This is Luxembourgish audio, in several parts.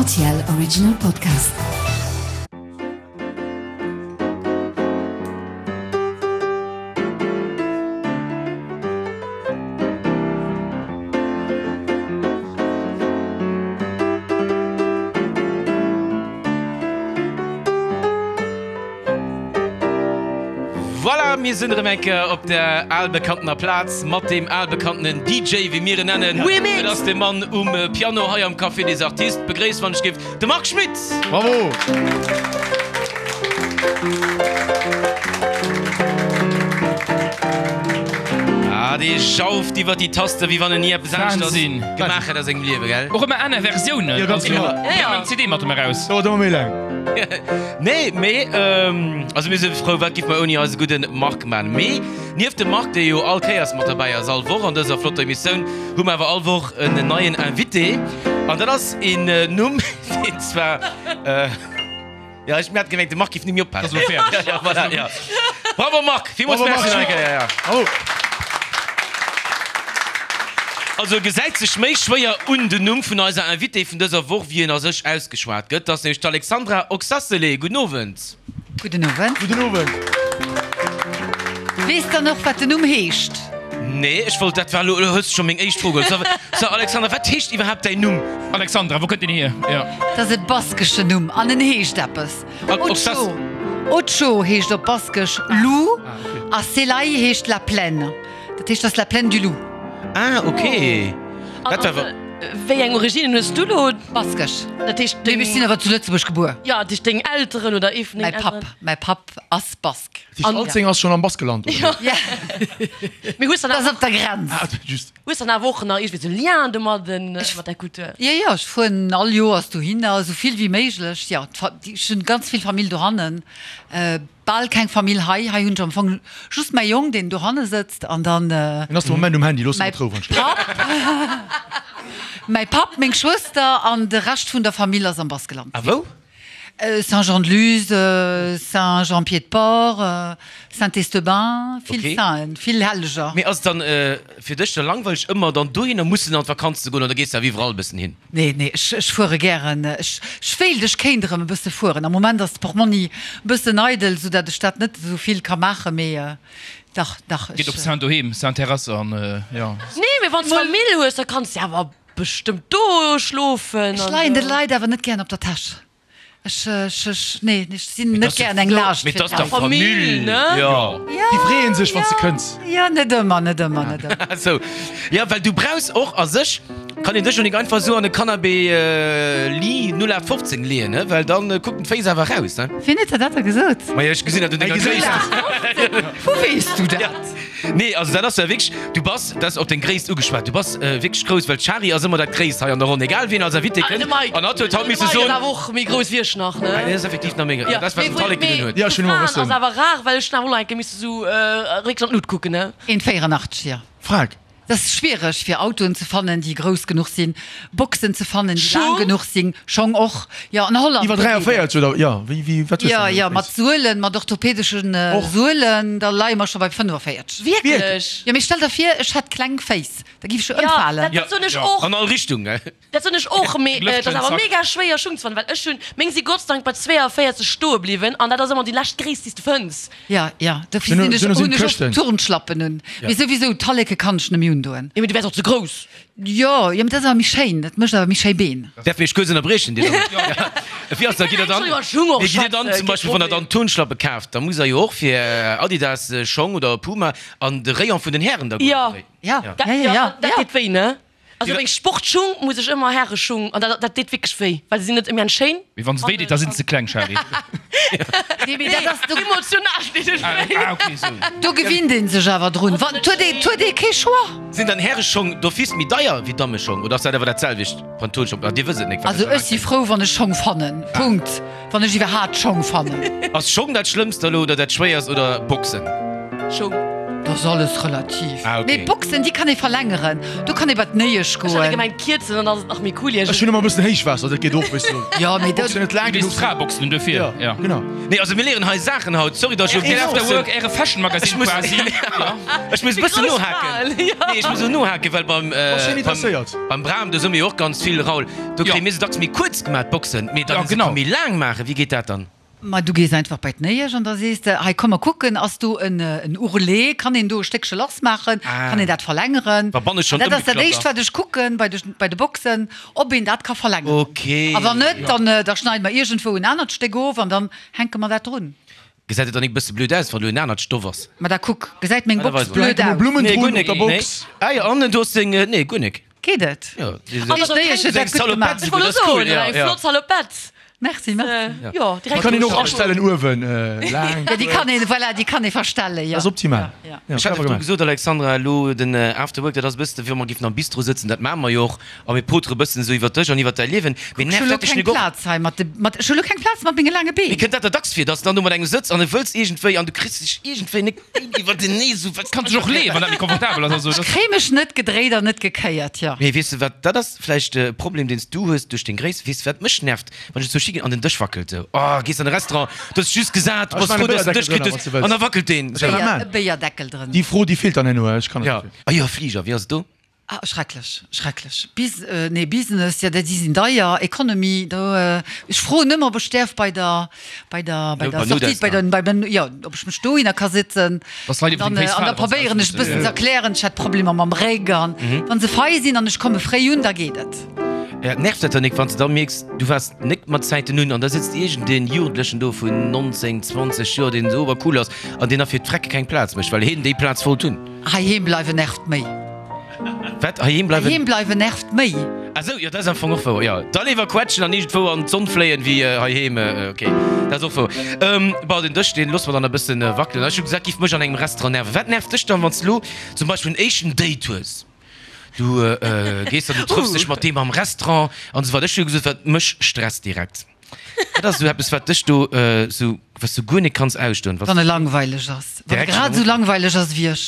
RTL Original Podcast. Voilà, mir sinn erëm eng Kéier op der albekanntener Plaz mat deem albekannten DJ, wéi mir en nennen. Remix! Et ass de Mann um Piano hei am Café des Artistes. Begréisst, wann ech géif, de Marc Schmitt! Bravo! Ah, dee jauft iwwer déi Taste, wéi wann en ni eppes aneschters Wahnsinn! gemaach hätt a sengem Liewe, gell? Och ëmmer aner Versiounen. Jo, ganz Also, genau. mir hunn eng CD mat em eraus. Dauert ëmmer méi laang. Nee, mee also mir si frou, wat giff mer ouni eise gudden Marc man. Mee nieft dem Marc, dee jo all Kéiers mat derbäi ass, all Woch an dëser flotter Emissioun, hu mer awer all Woch en neien Invité. An dat ass een Numm, deen zwar, jo, ech hat gemengt, de Marc giff net méi oppassen. Ass elo fäerdeg. Jo, voilà, jo. Bravo Marc, villmools Bravo, Marc Merci nach eng Kéier, ja. Bravo. Also gesäit sech méi schwéier un den Numm vun eiser Invitée vun dëser Woch, wéi en a sech ausgeschwat gëtt. Dat ass nämlech d'Alexandra Oxacelay. Gudden Owend. Gudden Owend. Gudden Owend. Weess dann och, wat den Numm heescht? Nee, ech wollt, dat war elo, elo hues de scho meng éischt Fro geholl. So, so Alexandra, wat heescht iwwerhaapt däin Numm? Alexandra, wou kënnt deen hier? Jo. Dat ass e baskeschen Numm an en heescht eppes. Otxo, Otxo heescht op Baskesch Loup a Celai heescht la plaine. Dat heescht, dat ass la plaine du loup. Ah, ok. Dat war awer. Wéi eng Originen hues du lo? Baskesch. Dat heescht deng. Mee ech sinn awer zu Lëtzebuerg gebuer. Jo, dat heescht deng Elteren oder ee vun dengen Elteren? Mäi Papp, mäi Papp ass Bask. Dat heescht, Alzeng ass schonn am Baskeland, oder? Jo. Mee hues dann Dat ass awer. op der Grenz. Ah, just. Hues dann awer och nach iergendwéi sou Lien domadden, mat der Kultur? Jo, jo, ech fueren all Joers dohinner, esou vill wéi méiglech. Jo, ech hunn ganz vill Famill dohannen. Bal keng Famill hei. Hei hunn ech am Fong just mäi Jong, deen dohanne sëtzt an dann. Deen ass de Moment um Handy, looss e mäi mat Rou, wann ech. Papp, mäi Papp, meng Schwëster an de Rescht vun der Famill ass am Baskeland. A wou? Saint-Jean-de-Luz, Saint-Jean-Pied-de-Port, Saint-Esteban, vill Okay. Sainten, vill Helleger. Mee ass et dann fir dech da langweileg ëmmer dann dohinner mussen an d'Vakanz ze goen oder gees de awer iwwerall e bëssen hin? Nee, nee, ech, ech fuere gären. Ech, ech wéilt, ech kéint erëm e bësse fueren. Am Moment ass d'Portmonni e bëssen eidel, soudatt ech dat net esou vill ka maachen, mee dach, dach, Geet op ech. Saint doheem, Saint Terrasse an jo. Nee, mee wann s Famill hues, da kanns de awer bestëmmt do schlofen. Ech leien de Leit awer net gären op der Täsch. Ech, ech, ech, nee, ech sinn net gären eng Laascht Mee fir 't ass dach d'Leit. Famill, ne? Jo. Déi freeën sech, wann s de kënns. Jo, net ëmmer, net ëmmer, net ëmmer. Sou, jo, well du brauchs och a sech, kann een dech jo nik einfach esou an e Canapé Lee 0815 leeën, ne, well dann kucken d'Féiss awer raus, ne? Wien huet der dat da gesot? Majo, ech gesinn dat un denger Gréisst. Wou weess du dat? Nee, also dat ass ja wierklech, du bass, dat ass op deng Gréisst ugeschwat, du bass wierklech grouss, well d'Shari ass ëmmer dat Gréisst hei an der Ronn, egal wien als Invité Ah, de kënnt. Mike. An hatt huet haut De misse Mike soen. ass awer och méi grouss wéi ech nach, ne? Ah, deen ass effektiv nach méi grouss. Ja, dat ass, wat den Tallek gedun huet. Ja, ech hunn ëmmer Fraen ass wëssen. awer rar, well ech hunn awer och nach eng Kéier misse sou récks an d'Lut kucken, ne? 1,84, jo. Frag. Et ass schwiereg fir Autoen ze fannen, déi grouss genuch sinn, Boxen ze fannen, déi laang Schong? genuch sinn, Schong och, jo, an Holland Iwwer do geet et. 43 oder, jo, wéi, wéi, wat hues Jo, de jo, mat Suelen, mat orthopädesche Och. Suelen, da leie mer scho bei 45. Wierklech? Jo, mee stell der vir, ech hätt kleng Féiss, da giff ech jo Jo, ëmfalen. dat, dat soen ech och. An all Richtung, gell? Dat soen ech och, mee et ass awer mega schwéier Schung ze fannen, well ech hunn, meng si gottsdank bei 42 stoe bliwwen an dat ass ëmmer déi lescht Gréisst, déi s de fënns. Ja, ja, dofir sinn ech, hunn ech och Turnschlappen un. Mee souwisou, Talleke kann ech nëmme undoen. Jo, mee du wäers och ze grouss. Jo, jo, mee dat ass awer méi schéin, dat mécht awer méi schéi Been. Däerf mech kuerz ënnerbriechen, Dir Dammen? Ja. Wéi ass dat? Gitt der dann, mee gitt Dir dann zum Beispill, wann Der dann Turnschlappe kaaft, da musst Der jo och fir Adidas Schong oder Puma an de Rayon vun den Hären da goen, Ja. oder wéi? Ja, ja, ja, ja. Dat deet wéi, ne? Also meng Sportschung muss ech ëmmer Häreschung an dat dat deet wierklech wéi, well se sinn net immens schéin. Mee wann se wéi deet, da sinn se ze kleng, Shari. Nee, mee dat ass do. Emotional deet et wéi. Ah, ok, sou. Do gewinnt een sech awer drun. Wann, et huet ee, et huet ee kee Choix. Sinn dann Häreschong d'office méi deier wéi Dammeschong oder ass dat awer dat selwecht Pantolschong? Ah, Dir wësst et nik, well Also ech si frou, wann ech Schong fannen. Punkt. Wann ech iwwerhaat Schong fannen. Ass Schong dat Schlëmmst elo oder dat Schwéierst oder Boxen? Schong. Dat ass alles relativ. Ah, okay. Mee d'Boxen, déi kann ee verlängeren. Do kann ee bei d'Néiesch Ech hat goen. gemengt kierzen, dann ass et nach méi cool Ech hunn ëmmer e bëssen Héichwaasser, dat geet och, weess du. Jo, mee dat. Boxen net laang Du genuch weess sinn. d'Fraeboxen hunn dofir, Ja, ja. genau. Nee, also mir léieren hei Saachen haut. Sorry, dass ech Rtl elo After bëssen. Work, äre Fashion Magazine Ech muss, quasi. Ja. ech muss e bëssen Déi grouss nohaken. Fraen, ja. Nee, ech muss elo nohaken, well beim, Bass schonn beim, interesséiert. beim Bram, do soe mir jo och ganz vill, Raoul, do Ja. kréie mir se dacks méi kuerz gemaach, d'Boxen. Mee dann Ja, se genau. ka méi laang maachen. Wéi geet dat dann? Ma du gees einfach bei d'Néiesch an da sees de, hei komm mer kucken, ass do en Ourlet, kann een do e Stéckche lass maachen, kann een dat verlängeren? Da bann ech schonn An dat ass dat ëmgeklappt. éischt wat ech kucken bei de bei de Boxen, ob een dat ka verlängeren. Okay. A wann net, dann da schneide mer iergendwou en anert Stéck of an dann hänke mer dat drun. Gesäit et dann nik bësse blöd aus, wann do en anert Stoff ass? Ma da kuck, gesäit meng Ah, da Box weis mer. blöd Do hänke aus? Blummen Nee, drun guer op nik. der Nee. Box. Ah jo, an du hues deng, nee, guer nik. Geet et? Jo, An Déi Néiesch huet dat gutt gemaach. Ech wollt elo soen, eng flott Salopette. Merci, merci. Jo, direkt. Kann een och astellen uewen laang. Jo, déi kann een, voilà, déi kann ee verstellen, jo. Dat ass optimal. Ja. Ja, Ech hat clever virdru gemaach. gesot, Alexandra, elo den After Work, dat ass e bëssen, wéi wa mer géifen am Bistro sëtzen, dat maache mer jo och, a mir potere e bëssen esou iwwer dech an iwwer däi Liewen. Mee Ech hu nervt lo dat dech keng nik och? Plaz hei mat de, mat, ech hu lo keng Plaz mat menge laange Mee Been. kënnt dat der dacks vir, dass de dann do mat engem sëtz an e wëlls iergendwéi an du kriss dech iergendwéi nik iwwertenee esou, wat Kanns dech och leeën, wann dat méi komfortabel ass. Also, Ech dat. kréie mech net gedréit an net gekéiert, jo. Mee weess de wat, dat ass vläicht e Problem, deen s du hues duerch deng Gréisst. Weess de wat mech nervt? Wann ech zu Ski ginn an den Dësch wackelt esou. Oh, gees an de Restaurant, du hues just gesat, du Ech bass maachen frou, e dass de den Dësch Béierdeckel kritt drënner, hues, wann s du wëlls. an da wackelt deen. Ech kann dat E maachen. Béierdeckel drënner. Déi Fro, déi feelt dann herno, ech kann Ja. net. Ah jo, Fliger, wéi ass et do? Ah, schrecklech, schrecklech. Bis, nee, Business, jo, déi sinn deier. Economy, do, ech froen ëmmer, ob ech däerf bei der, bei der, bei der Sortie, bei der, bei der, jo, ob ech mech dohinner ka sitzen. Dass Leit iwwer Dann, deng Féiss an da falen, wann se probéieren ech e bëssen ze erklären, ech hätt Problemer mam Réck an wa se fei sinn an ech komme fréi un, da geet et. Ja, nervt dat dann nik, wann s de da mierks, du waars nik mat Zäiten un an da sëtzt iergendeen Jugendlechen do vun 19, 20 Joer, deen esou obercool ass an deen da fir d'Frecke keng Plaz mécht, well heen déi Plaz wollt hunn. Heiheem bleiwen nervt méi. Wat? Heiheem bleiwen? Heiheem bleiwen nervt méi. Ah sou, jo, dat ass am Fong och wouer, jo. Da léiwer quetschen an iergendwou an d'Sonn fléien, wéi heiheem. Ok, dat ass och wouer. Bon, den Dësch, deen loosse mer dann e bëssen wackelen. Ech hu gesat, giff mech an engem Restaurant nerven. Wat nervt dech dann, wann s de lo zum Beispill en éischten Date hues? Du gees dann, du trëffs dech mat deem am Restaurant an esou weider. Ech hu jo gesot, wat mech stresst direkt, dat ass esou eppes, wat dech do esou, wat s du guer net kanns ausstoen, Wann e langweileg ass, wann e Direkt schon grad am esou langweileg ass wéi ech,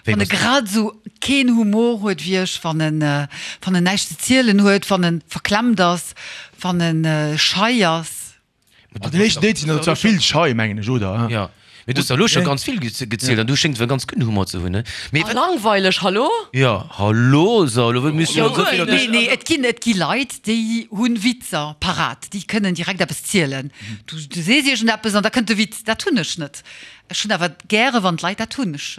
Wéi wann e bass du? grad esou keen Humor huet wéi ech, wann en, wann en näischt ze zielen huet, wann en verklemmt ass, wann en schei ass. An den éischten Date sinn der zwar vill schei, mengen ech, oder? Jo, mee du hues der elo scho ganz vill gezielt an du schéngs awer ganz gudden Humor ze hunn, ne? Mee Ah, langweileg, hallo? Jo, hallo, so, elo misst jo esou vill op dech. Nee, nee, et ginn, et gi Leit, déi hunn Witzer parat, déi kënnen direkt eppes zielen. Du, du sees iergendeppes an da kënnt de Witz. Dat hunn ech net. Ech hunn awer gäre wann d'Leit dat hunn. Ech.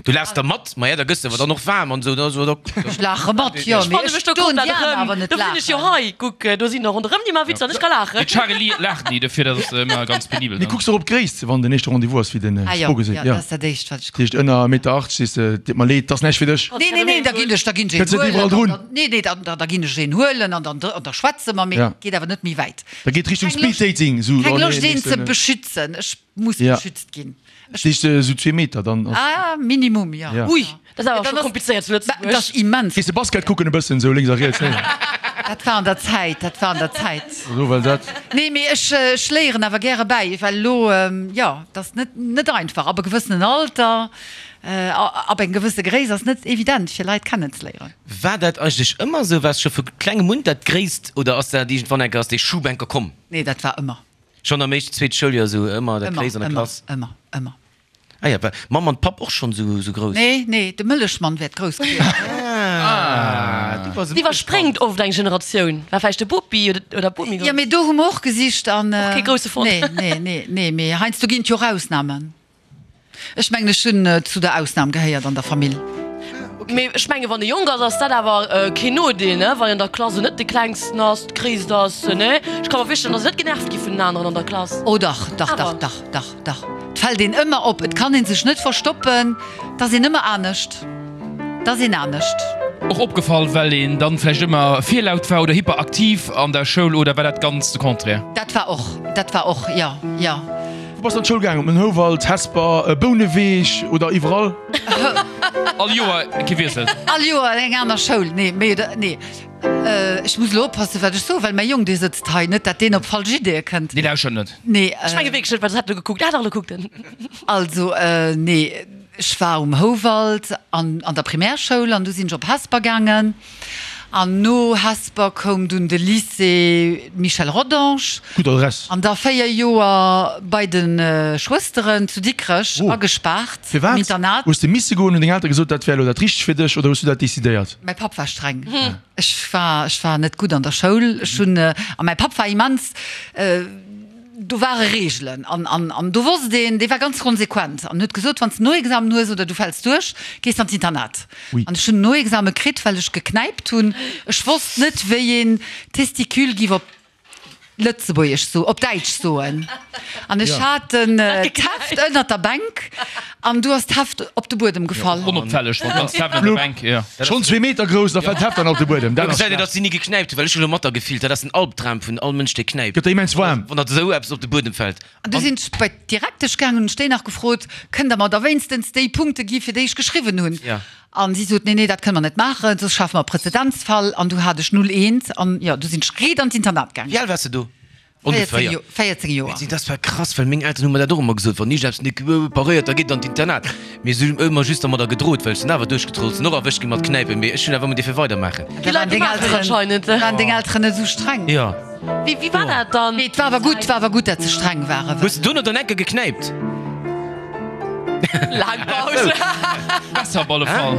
Du laachs da mat, ma ja, da gëss de awer dann och waarm an esou, da so da. Ech laache mat, jo, Ech mee fanne ech mech do doen komplett déi aner erëm. awer net Do sinn ech jo laachen. hei, kuck, do sinn der ronderëm déi maache Witzer an ech ka laachen. Mee d'Chareli laacht ni, dofir dat ass ëmmer ganz penibel Mee dann. kucks och op d'Gréisst, wann den éischte Rendez-vous ass, wéi den Ah jo, Fro geseet, jo, jo. dat ass dat éischt wat ech Dat heescht kucken. ënner 1,80 Meter sees de, deet mer leed, 't ass näischt fir dech. Nee, nee, nee, da ginn ech, da ginn ech een Kënns net iwwerall huelen drun. an dann, nee, nee, dann, da ginn ech een huelen an dann, an da schwätze mer, mee Ja. geet awer net méi wäit. Da geet Richtung Keng Loscht, Speed-Dating, esou, keng oh nee, Loscht een ze nächsten. beschützen. Ech muss Ja. beschützt ginn. Ech. Heescht esou zwee Meter dann ass. Ah, Minimum, jo. Ja. Ui, dat ass awer Ja, scho dann ass, komplizéiert zu dat Lëtzebuerg. ass immens. Gees de Basket kucken e bëssen esou lénks a riets, nee? Dat war an der Zäit, dat war an der Zäit. Esou, well dat. Nee, mee ech, ech léieren awer gäre bäi, well elo, jo, dat ass net, net einfach. Ab e gewëssenen Alter, ab eng gewësse Gréisst ass net evident, fir Leit kennenzeléieren. War dat eigentlech ëmmer esou? Waars scho vu klengem un dat Gréisst oder ass dat iergendwann enker, ass dee Schub enker komm? Nee, dat war ëmmer. Schonn am éischten, zweete Schouljoer esou ëmmer dat Ëmmer, Gréisst an der ëmmer, Klass? ëmmer, ëmmer. Ah ja, war Mamm an Papp och schonn esou esou grouss? Nee, nee, de Mëllechmann wäert grouss gewiescht sinn. Ah, du bass e Et iwwerspréngt oft eng Generatioun. War vläicht de Bopi oder oder d'Bomi Jo, grouss? mee do hu mer och gesicht an. Och kee grousse fonnt. Nee, nee, nee, nee, mee heiansdo ginn et jo och Ausnamen. Ech mengen, ech hunn zu der Ausnam gehéiert an der Famill. Mee ech menge wann e jonk ass, ass dat awer keen Nodeel, ne? Wann een an der Klass esou net de Klengsten ass, d'Gréisst ass, ne? Ech ka mer virstellen, datt e net genervt gi vun den aneren an der Klass. Oh dach, dach, dach, Awer. dach, dach, dach. Et fält een ëmmer op. Et kann ee sech net verstoppen. Et ass een ëmmer anescht. Et ass een anescht. Och opgefall, well een dann vläicht ëmmer virlaut war oder hyperaktiv an der Schoul, oder war dat ganz de Contraire? Dat war och, dat war och, jo, jo. Wou bass de an d'Schoul gaangen? Op den Houwald, Hesper, Bouneweg oder iwwerall? All Joer gewiesselt? All Joer eng aner Schoul, nee, méi oder, nee. Ech muss elo oppassen, wat ech soen, well mäi Jong, dee sëtzt hei, net dat deen op falsch Ideeë kënnt. Dee lauschert net. Nee. Ech menge wierklech net, well soss hätt en elo gekuckt. Ah dach, elo kuckt en. Also, nee. Ech war um Houwald an an der Primärschoul an du sinn ech op Hesper gaangen. An no Hesper koum dunn de Lycée Michel Rodange. Gutt Adress. An da 4 Joer bei de Schwësteren zu Dikrech agespaart am Firwat? Internat. Hues de misse goen? Hunn deng Eltere gesot, dat wär elo dat Richtegt fir dech oder hues du dat decidéiert? Mäi Papp war streng. Ech war, ech war net gutt an der Schoul. Ech hunn, a mäi Papp war immens, do ware Reegelen an, an, an do wosst een, dee war ganz konsequent an huet gesot, wann s de Noexamen hues oder du fäls duerch, gees de an d'Internat. An ech hunn Noexame kritt, well ech geknäipt hunn. Ech wosst net, wéi een Testicule giff op Lëtzebuergesch so, op Däitsch soen. An ech hat den d'Heft ënnert der Bänk an du ass d'Heft op de Buedem gefall. Onopfälleg, wann d'ganzt Heft ënner der Bänk, jo. Schonn zwee Meter grouss, da fält d'Heft dann op de Buedem. Do gesäit een, datt si ni geknäipt hunn, well ech hu lo mat der gefillt, dat ass den Albdram vun all Mënsch, dee knäipt. Gëtt der immens waarm. Wann der esou eppes op de Buedem fält. An du sinn ech bei d'Direktesch gaangen hunn ech déi nach gefrot, Kënnt der mer da wéinstens déi Punkte gi fir déi ech geschriwwen hunn? An si sot, Nee, nee, dat kënne mer net maachen, soss schafe mer e Präzedenzfall. An du hat ech null eent. An jo, du sinn ech riit an d'Internat gaangen. Wéi al waars de do ongeféier? 14 Joer. Dat ass zwar krass, well meng Elteren hu mer dat och ëmmer gesot, wann iergendeppes net paréiert, da geet et an d'Internat. Mee si hunn ëmmer just dermadder gedrot, well ech sinn awer duerchgetrollt, sinn och erwëscht gi mat Knäipen, mee ech hunn awer ëmmer dierfe weidermaachen. Da waren deng Elteren, waren deng Elteren net esou streng? Jo. Wéi, wéi war dat dann? Mee et war awer gutt, war awer gutt, dat se streng waren. Hues de dono dann enke geknäipt? Laang Paus. Besser op alle Fall.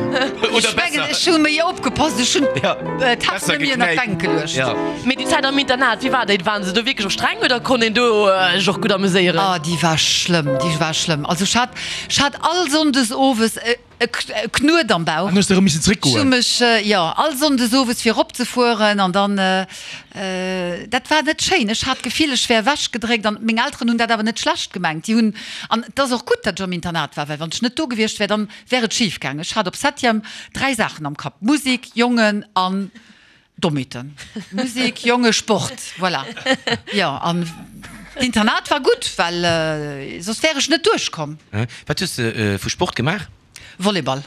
Oder Ech mengen, besser. ech hu méi opgepasst, ech hunn Ja. d'Heft Besser net méi ënnert geknäipt. d'Bänk geluecht. Ja. Mee déi Zäit am Internat, wéi war déi? Waren se do wierklech och streng oder konnt een do sech och gutt ameséieren? Ah, déi war schlëmm, déi war schlëmm. Also ech hat, ech hat all Sonndes owes e E Knuet am Bauch. An hues de erëm missen zréck Ech hu goen? mech, jo, all Sonndes owes fir erop ze fueren an dann, dat war net schéin. Ech hat d'Gefill, ech wär ewech gedréckt an meng Elteren hunn dat awer net schlecht gemengt. Déi hunn, an et ass och gutt, datt ech am Internat war, well wann ech net do gewiescht wär, dann wär et schif gaangen. Ech hat op Septième 3 Saachen am Kapp, Musik, Jongen an Dommheeten. Musik, Jonge, Sport, voilà. Jo, an d'Internat war gutt, well soss wär ech net duerchkomm. Wat hues de vu Sport gemaach? Volleyball.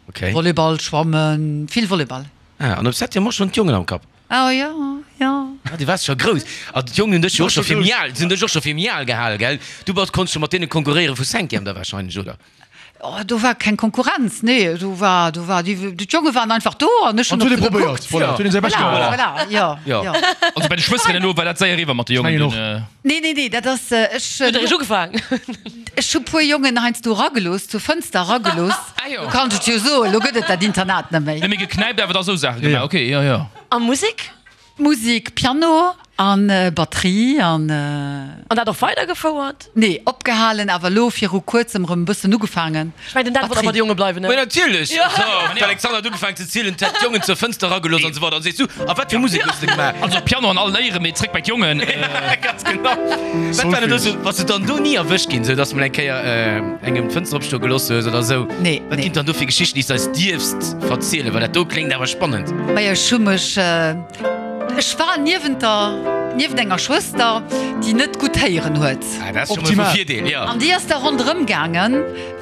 Okay. Volleyball, Schwammen, vill Volleyball. Ah, an op Septième och schonn d'Jongen am Kapp? Oh jo, jo. Ah, du waars scho grouss. Ah, d'Jongen hunn dech jo och scho fir méi al, si hunn dech och scho fir méi al gehal, gell? Du bass, konns scho mat deene konkurréiere vu Cinquième da warscheinlech, oder? Oh, do war keng Konkurrenz, nee, do war, do war, déi, d'Jonge waren einfach do an ech hunn An op huet se ee probéiert, gekuckt. voilà, huet een säi Bescht Voilà, gemaach. voilà, jo, Jo. jo. Also bei de Schwësteren elo war dat séier eriwwer mat de Jongen Mengen och. dunn. Nee, nee, nee, dat ass, ech, Huet eréischt ugefaangen. ech hu puer Jongen heiansdo eragelooss, zur Fënster eragelooss. Ah jo. Do kann ech et jo soen, elo gëtt et dat Internat net méi. Net méi geknäipt, awer da sou Saache gemaach, ok, jo, jo. A Musek? Musik, Piano an Batterie an. An dat och weidergefouert? Nee, opgehalen, awer elo viru kuerzem erëm e bëssen ugefaangen. Ech mengen, den Dan wollt awer bei de Jonge bleiwen, ne? Ma natierlech! So, d'Alexandra huet ugefaangen ze zielen, d'hätt d'Jongen zur Fënster eragelooss an esou weider. An sees du, a wat fir Musek hues de gemaach? Also Piano an all Léieren, mee zréck bei d'Jongen. Ganz genau. Wat war denn do sou, bass du dann do ni erwëscht ginn, sou dass mol eng Kéier engem d'Fënster opstoe gelooss hues oder sou? Nee, Wat nee. ginn et dann do fir Geschichten, déi s de eis dierfs verzielen? Well dat do kléngt awer spannend. Majo, ech hu mech. Ech war niewent der, niewent enger Schwëster, déi net gutt héieren huet. Ah, dat ass scho mol vu Virdeel, jo. An déi ass da ronderëm gaangen,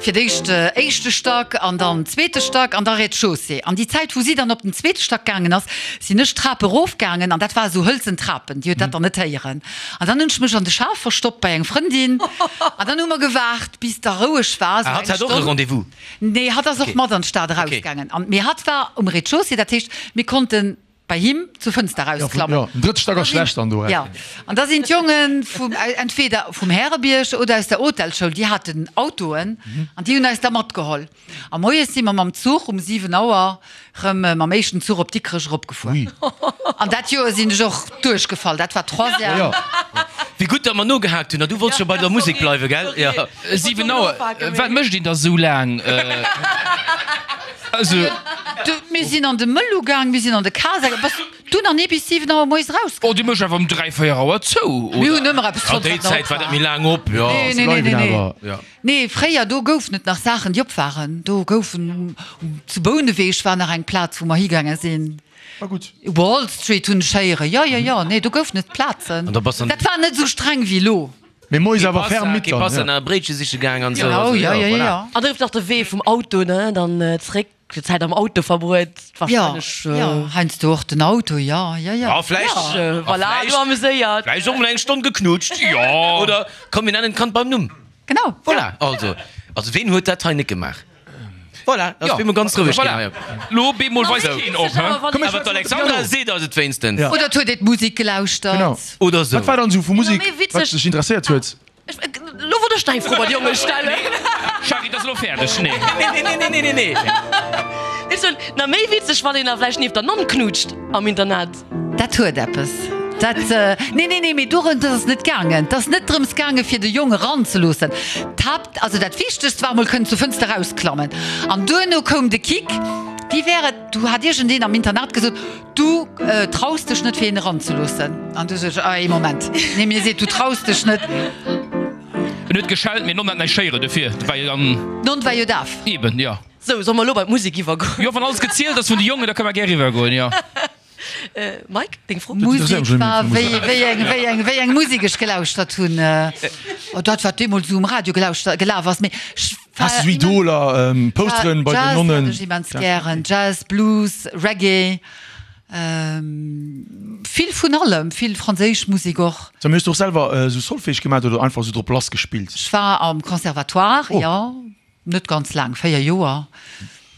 fir d'éischt éischte Stack an dann zweete Stack an da Rez-de-chaussée. An déi Zäit, wou si dann op den zweete Stack gaangen ass, sinn ech d'Trap erofgaangen an dat war esou hëlzen Trapen, déi huet dat dann net héieren. An dann hunn ech mech an de Schaf verstoppt bei eng Frëndin an dann hu mer gewaart, bis da roueg war, esou Ah, eng hatt hat och e Stonn. Rendez-vous? Nee, hatt ass och mat an d'Stad erausgaangen. An, mee hatt war um Rez-de-chaussée, dat heescht, mir konnten bei him zur Fënster erausklammen. Jo, den drëtte Stack ass schlecht dann do. Jo, an da sinn d'Jonge vum, entweder vum Härebierg oder aus der Hotelschoul, déi haten Autoen an déi hunn eis da matgeholl. A moies si mer mam Zuch um 7 Auer rëm mam éischten Zuch op Dikrech eropgefuer. An dat Joer sinn ech och duerchgefall, dat war Troisième. Wéi gutt, datt mer nogehaakt hunn. A du wollts scho bei der Musek bleiwen, gell? Jo. 7 Auer, wat mécht een da sou laang? Also. Du, mir sinn an de Mëllu gaang, mir sinn an de Casa gaang. Bass du nach ni bis 7 Auer moies eraus Oh, déi mécht awer um 3, 4 Auer zou, oder? Mir hunn ëmmer eppes An fonnt, déi wat nach Zäit op war dat war. méi laang op, jo. Nee, nee, nee, nee, nee. Ja. Nee, fréier, do goufen et nach Saachen, déi op waren. Do goufen, zu Bouneweg war nach eng Plaz, wou mer higaange sinn. War gutt. Wall Street hunn ech héieren. Jo, jo, jo, nee, do goufen et Plazen. An da bass an. Dat war net esou streng wéi elo. Mee moies awer ferm midd dann, Kipassa, ja. na, Bréitche siche gaang an esou. Genau, Also, jo, jo, jo, voilà. jo. An da gouf nach de Wee vum Auto, ne, dann zréck, déi Zäit am Auto verbruet, Jo, wahrscheinlech. jo, heiansdo och den Auto, jo, jo, jo. A vläicht, Ja, a voilà, vläicht, du ameséiert. vläicht och mol eng Stonn geknutscht. Jo. Oder komm, mir nennen d'Kand beim Numm. Genau, Voilà, also. Also ween huet dat hei net gemaach? Voilà, ass bemol ganz roueg ginn hei. Lo bemol weist keen op, hä? Awer d'Alexandra seet eis et wéinstens. Oder et huet ee d'Musek gelauschtert. Oder sou. Wat war dann sou vu Musek, wat dech interesséiert huet? Lo wollt ech deng Fro bei de Jonge stellen. Shari, dat ass elo fäerdeg. Nee. Nee, nee, nee, nee, nee, nee. Ech soen, na méi witzeg, wann een da vläicht nieft der Nonn knutscht am Internat. Dat huet eppes. Dat, nee, nee, nee, mee dorëms ass et net gaangen. Et ass net drëms gaange fir de Jong eranzeloossen. D'Haapt, also dat Wichtegst war emol kënnen zur Fënster erausklammen. An duerno koum de Kick, Wéi wär et, du hat iergendeen am Internat gesot, du traus dech net fir een eranzeloossen. An du sot ech, ah, ee Moment, nee, mir seet, du traus dech net. En huet geschellt, mee d'Nonn hat näischt héieren, dofir war jo dann. D'Nonn war jo daf. Eben, jo. Sou, solle mer elo bei d'Musek iwwergoen? Jo, wann alles gezielt ass vun de Jongen, da kënne mer gär eriwwergoen, jo. Mike, deng Fro? Musek war, wéi, wéi eng, wéi eng, wéi eng Musek ech gelauschtert hunn. Oh, dat, wat deemools esou um Radio gelauschtert, gelaf ass. Mee ech war. Has de sou Idoler, Posteren bei den Nonnen? Jazz hat ech immens gären. Jazz, Blues, Reggae. Vill vun allem, vill franséisch Musek och. Sag mol, hues du och selwer esou Solfège gemaat oder einfach esou drop lass gespillt? Ech war am Conservatoire, jo. Net ganz laang, 4 Joer.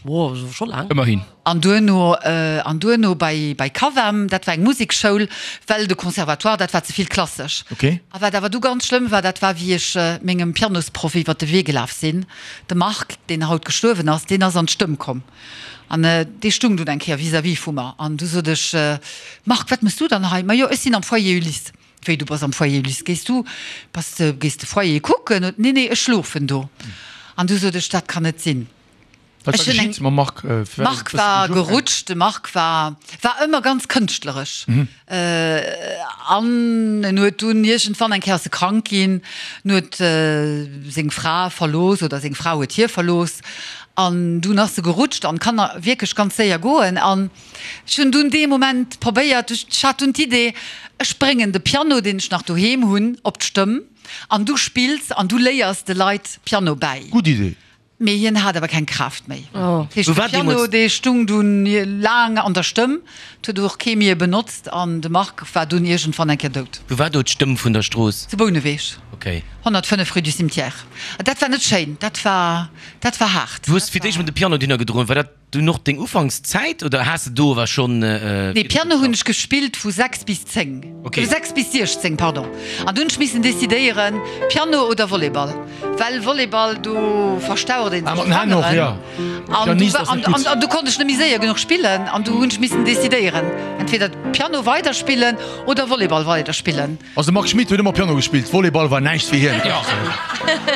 Wow, scho laang. Ëmmerhin. An duerno, an duerno bei, bei Cavem, dat war eng Musekschoul, well de Conservatoire, dat war ze vill klassesch. Okay. A wat awer du ganz schlëmm war, dat war wéi ech mengem Pianosproff iwwert de Wee gelaf sinn, de Marc, deen haut gestuerwen ass, deen ass an d'Stëmm komm. An dee stung dunn eng Kéier vis-à-vis vu mer. An du sot ech, Marc, wat mëss du dann hei? Ma jo, ech sinn am Foyer Ulysse. Wéi, du bass am Foyer Ulysse? Gees du, bass de, gees de Foyer kucken? Nee, nee, ech schlofen do. An du sot ech, dat kann net sinn. Wat war Ech hunn eng. geschitt mam Marc? Firwat ass Marc et bëssen war duerch ofgaangen? gerutscht, de Marc war, war ëmmer ganz kënschtleresch. An en huet dunn iergendwann eng Kéier ass e krank ginn, en huet seng Fra verlooss oder seng Fra huet hie verlooss. An dunn ass e gerutscht an kann wierklech ganz séier goen. An Ech hunn dunn dee Moment probéiert, ech hat dunn d'Idee, ech bréngen de Piano, deen ech nach doheem hunn, op d'Stëmm an du spills an du léiers de Leit Piano bäi. Gutt Idee. Mee hien hat awer keng Kraaft méi. Dat heescht, Wou de war Piano, deemools. dee stung dunn laang an der Stëmm, et huet och kee méi e benotzt an de Marc war dunn iergendwann eng Kéier dout. Wou war do d'Stëmm vun der Strooss? Zu Bouneweg, Okay. 105 rue du Cimetière. Dat war net schéin, dat war, dat war haart. Du hues fir d'éischt mol de Piano dunner gedroen. War dat Dunn och deng Ufankszäit oder has de do awer schonn Nee, Piano hunn ech gespillt vu 6 bis 10, Okay. 6 bis 16, pardon. An dunn hunn ech missen decidéieren, Piano oder Volleyball, well Volleyball, do verstaucht een Ah, sech mat den Hänn och, d'Fangeren. ja. An du Pianist ass an net gutt. an du konnt ech net méi séier genuch spillen an du hunn ech missen decidéieren, entweder Piano weiderspillen oder Volleyball weiderspillen. Also de Marc Schmit huet ëmmer Piano gespillt, Volleyball war näischt fir hien.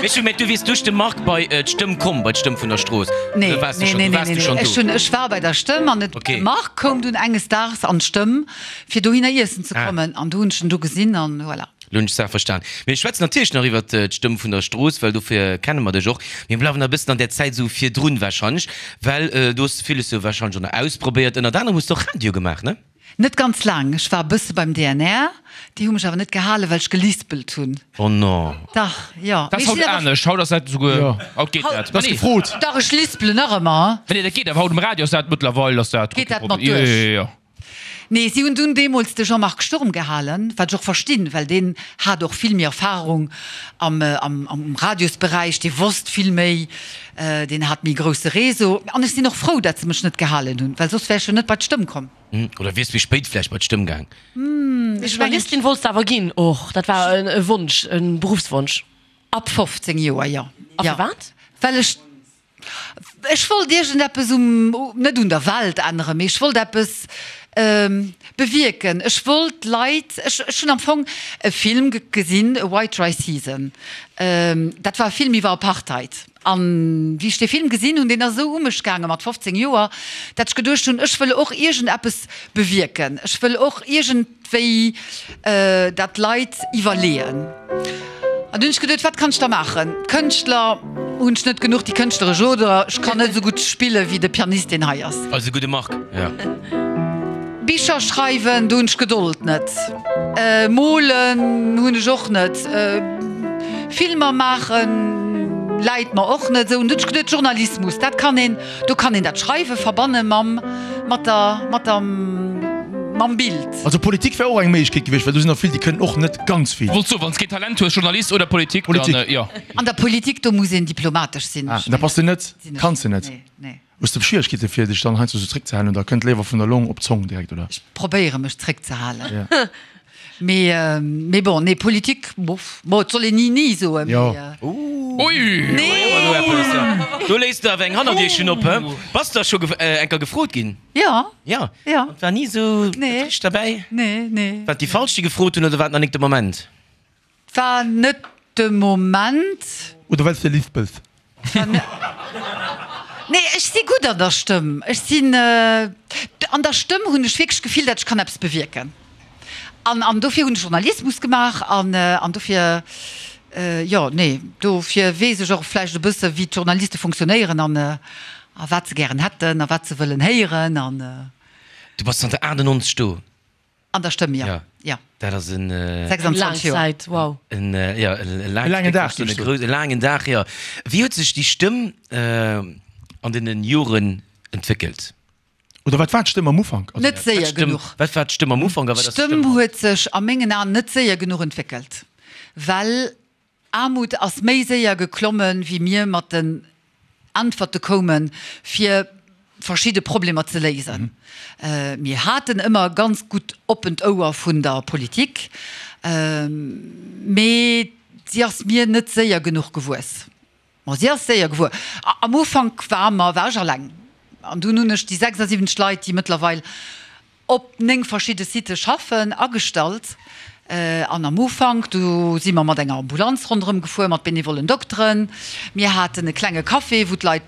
Mee ech hunn, du wiers duerch de Marc bei d'Stëmm komm, bei d'Stëmm vun der Strooss? Nee, Oder waars du nee, schonn, nee, du nee, waars nee, du schonn nee. Ech do? hunn, ech war bei der Stëmm an de Okay. Marc koum dunn enges Daags an d'Stëmm, fir dohinner iessen ze Ah. kommen an du hunn ech en do gesinn an voilà. Lo hunn ech d'Saach verstan. Mir schwätzen natierlech nach iwwert d'Stëmm vun der Strooss, well dofir kenne mer dech och. Mir bleiwen nach e bëssen an där Zäit esou virdrun warscheinlech, well do hues de villes jo warscheinlech och nach ausprobéiert. Ënnert anerem hues de och Radio gemaach, ne? Net ganz laang. Ech war e bësse beim DNR. Déi hu mech awer net gehalen, well ech gelispelt hunn. Oh non. Dach, jo. Dat ass haut anescht. Haut ass dat esouguer, haut geet dat. Dat ass gefrot. Dach, ech lispelen nach ëmmer. Nee, dat geet awer haut um Radio ass dat mëttlerweil ass dat. Geet dat mat duerch? Jo, jo, jo. Nee, si hunn dunn deemools de Jean-Marc Sturm gehalen, wat ech och verstinn, well deen hat och vill méi Erfahrung am, am, am Radiosberäich, dee wosst vill méi, deen hat méi grousse Réseau. An ech sinn och frou, dat se mech net gehalen hunn, well soss wär ech jo net bei d'Stëmm komm. Oder wiers méi spéit vläicht bei d'Stëmm gaang? Journalistin wollts de awer ginn och, dat war e Wonsch, e Beruffswonsch? Ab 15 Joer, jo. A firwat? Well ech, ech wollt iergendeppes um, net un der Welt änneren, mee ech wollt eppes bewierken. Ech wollt d'Leit, ech, ech hunn am Fong e Film gesinn, White Dry Season, dat war e Film iwwer Apartheid. An wéi ech dee Film gesinn hunn, deen ass esou u mech gaange mat 15 Joer, dat ech geduecht hunn, ech wëll och iergendeppes bewierken, ech wëll och iergendwéi dat d'Leit iwwerleeën. An dunn hunn ech geduet, wat kann ech da maachen? Kënschtler hunn ech net genuch, déi kënschtleresch Oder ech kann net esou gutt spille wéi de Pianist, deen hei ass. Eise gudde Marc, jo. Bicher schreiwen, do hunn ech Gedold net. Molen hunn ech och net. Filmer maachen läit mer och net esou. Hunn ech geduet, Journalismus, dat kann een, do kann een dat Schreiwe verbanne mam, mat der, mat der. Mam Bild. Also Politik wär och eng Méiglechkeet gewiescht, well do sinn der vill, déi kënnen och net ganz vill. Wollt soen, wann s keen Talent hues, Journalist oder Politik, dann Politik. jo. An der Politik, do muss een diplomatesch sinn. Ah, da bass de net, Sinn ech kanns de net. net. Nee, nee. Hues de Schwieregkeete fir dech dann heiansdo sou zréckzehalen oder kënnt léiwer vun der Long op d'Zong direkt, oder? Ech probéiere mech zréckzehalen. Ja. Mee, mee bon, nee, Politik, bof, bon, et soll een ni ni soen, Jo. mee. Ui! Nee! Do léisst de awer eng Hannerdierchen op, hä? Bass de da scho eng Kéier gefrot ginn? Jo. Ja. Jo. An et war ni esou Nee. dat Richtegt derbäi? Nee, nee. Waren et déi Falsch, déi gefrot hunn, oder war et nach nik de Moment? Et war net de Moment. Oder well s de lispels? Nee, ech si gutt an der Stëmm. Ech sinn, an der Stëmm hunn ech wierklech d'Gefill, datt ech kann eppes bewierken. An, an dofir hunn ech Journalismus gemaach an, an dofir, jo, nee, dofir weess ech och vläicht e bësse wéi d'Journaliste funktionéieren an, a wat se gären hätten a wat se wëllen héieren an. Du bass zanter 98 do? An der Stëmm, jo. Ja. Jo. Dat ass en. 26 Laang Joer. Zäit, wow. En, ja, e laangen laangt Dag, Stéck, e grouss, e laangen Dag, jo. Wéi huet sech déi Stëmm an deene Joren entwéckelt? Oder wat war d'Stëmm am Ufank? Also, Net séier genuch. Wat war d'Stëmm am Ufank a wat ass d'Stëmm D'Stëmm haut? huet sech a mengen Aen net séier genuch entwéckelt, well Aarmut ass méi séier geklommen, wéi mir mat den Äntwerte koumen, fir verschidde Problemer ze léisen. Mir haten ëmmer ganz gutt oppent Ouer vun der Politik, mee si ass mir net séier genuch gewuess. Ma si ass séier gewuer. Am Ufank war mer, war ech alleng. An dunn hunn ech déi 76 Leit, déi mëttlerweil op 9 verschidde Sitë schaffen, agestallt. An am Ufank, do si mer mat enger Ambulanz ronderëm gefuer, mat benevollen Dokteren. Mir haten e klenge Café, wou d'Leit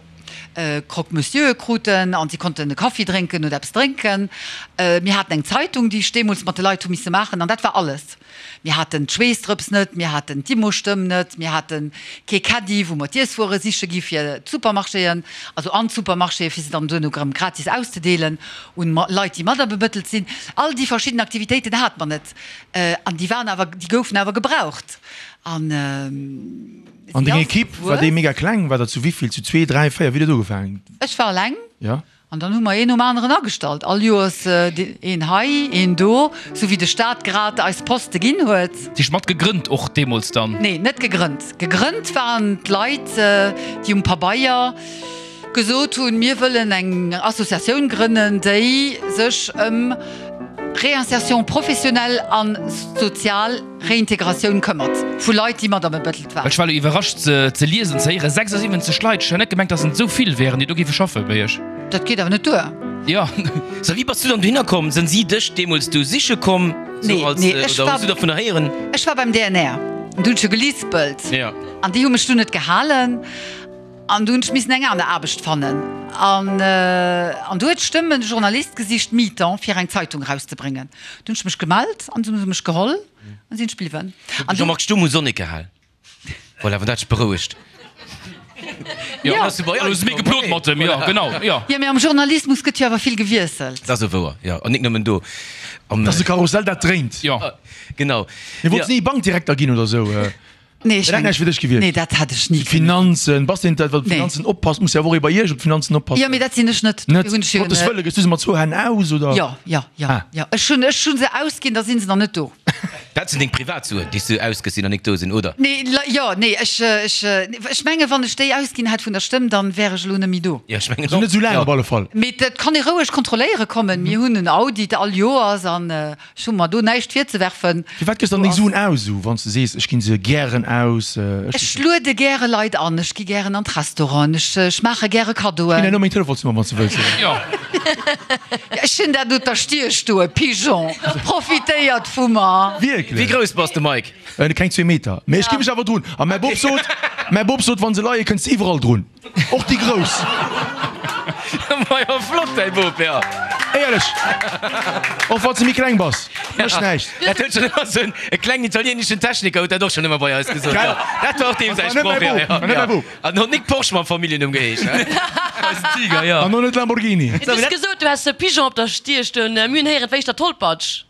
Croque-Monsieure kruten an si konnten e Kaffi drénken oder eppes drénken. Mir haten eng Zeitung, déi ech deemools mat de Leit hu misse maachen an dat war alles. Mir haten d'Schweessdrëps net, mir haten d'Immostëmm net, mir hate kee Caddie, wou mer d'Iesswuere siche gi fir d'Supermarchéen, also an d'Supermarchéen, fir se dann duerno erëm gratis auszedeelen un Leit, déi materbemëttelt sinn. All déi verschidden Aktivitéiten hate mer net an déi waren awer, déi goufen awer gebraucht. An An deng Equipe, war déi mega kleng? War der zu wéivill? Zu zwee, dräi, véier? Wéi huet dat ugefaangen? Ech war eleng. Ja. An dann hu mer een nom aneren agestallt, all Joers een hei, een do, sou wéi de Staat grad eis Poste ginn huet. Dich mat gegrënnt och deemools dann? Nee, net gegrënnt. Gegrënnt waren d'Leit, déi um Pabeier gesot hunn, mir wëllen eng Associatioun grënnen, déi sech ëm Réinsertion professionnelle a sozial Réintegratioun këmmert vu Leit, déi mat am Ebëttelt waren. Ech war elo iwwerrascht ze liesen, ze héieren, 76 Leit. Ech hat net gemengt, dass et esou vill wären, déi do géife schaffe bei iech. Dat geet awer net duer. Jo. So, wéi bass du dann dohinner komm? Sinn si dech deemools do siche komm? Nee, als, nee, ech oder war, hues du dovunner héieren? Ech war beim DNR, an du hunn ech jo gelispelt. Ja. An déi hu mech dunn net gehalen. An du hunn ech missen eng aner Aarbecht fannen. An, an du huet d'Stëmm e Journalist gesicht, mi-temps, fir eng Zeitung erauszebréngen. Du hunn ech mech gemellt an se hu mech geholl an sinn ech bliwwen. An Jean-Marc Stumm hu Sonnek gehal. Voilà, wann dat dech berouegt. Jo, Ja, ass du bei elo eis si mir komm. geplot mat em, jo, genau, jo. Jo, mee am Journalismus gëtt jo awer vill gewiesselt. Dat ass esou wouer, jo. An nik nëmmen do. Am, Dat ass e Karussell, dat dréint. Jo. Genau. Mee wollts ni Bankdirekter ginn oder esou? Nee, ech Dat hätt näischt fir dech gewiescht. Nee, dat hätt ech ni kënnen. D'Finanzen, bass de dat wat op Nee. d'Finanzen oppasst? Muss jo awer och ee bei iech op d'Finanzen oppassen. Jo, mee dat sinn ech net. Net? Dofir hunn ech jo Gottes en. Wëlle, gëss du se mat zwou Hänn aus, oder? Jo, jo, jo, Ah. jo. Ech hunn, ech hunn se ausginn, da sinn se nach net do. Dat sinn deng Privatsuen, déi s du ausgëss, déi nach nik do sinn, oder? Nee, jo, nee, ech, ech, ech menge wann ech déi ausginn hätt vun der Stëmm, dann wär ech elo net méi do. Jo, ech mengen Also och. net esou laang Jo. op alle Fall. Mee dat kann ee roueg kontrolléiere kommen. Mir hunn en Audit all Joers an Ech hu mer do näischt virzewerfen. Firwat gëss dann deng Suen aus esou, wann s de sees, ech ginn se gären aus? Ech luede gäre Leit an, ech gi gären an d'Restauranten, ech maache gäre Kaddoen. Ech ginn herno meng Telefonsnummer, wann s de wëlls. Jo. Ech hunn dat un der Stier stoen, Pigeon, profitéiert vu mer. Wierklech? Wéi grouss bass de, Mike? Keng zwee Meter, mee ech gi mech awer drun. A mäi Bop sot, mäi Bop sot, wann se leie kënns de iwwerall drun. Och déi grouss. Majo flott däi Bop, jo. Éierlech, och wann s de méi kleng bass, mécht näischt. Dat huet schonn ëmmer esou e klengen italieneschen Techniker huet dat och schonn ëmmer bei eis gesot, jo. Dat war och deem säi Sproch, jo, jo, jo. An och Nic Porsche mam Familljennumm geheescht, he? Eisen Tiger, jo. An och net Lamborghini. Du hues gesot, du häss e Pigeon op der Stier stoen. Mir hunn héieren, et wéischt der Tollpatsch.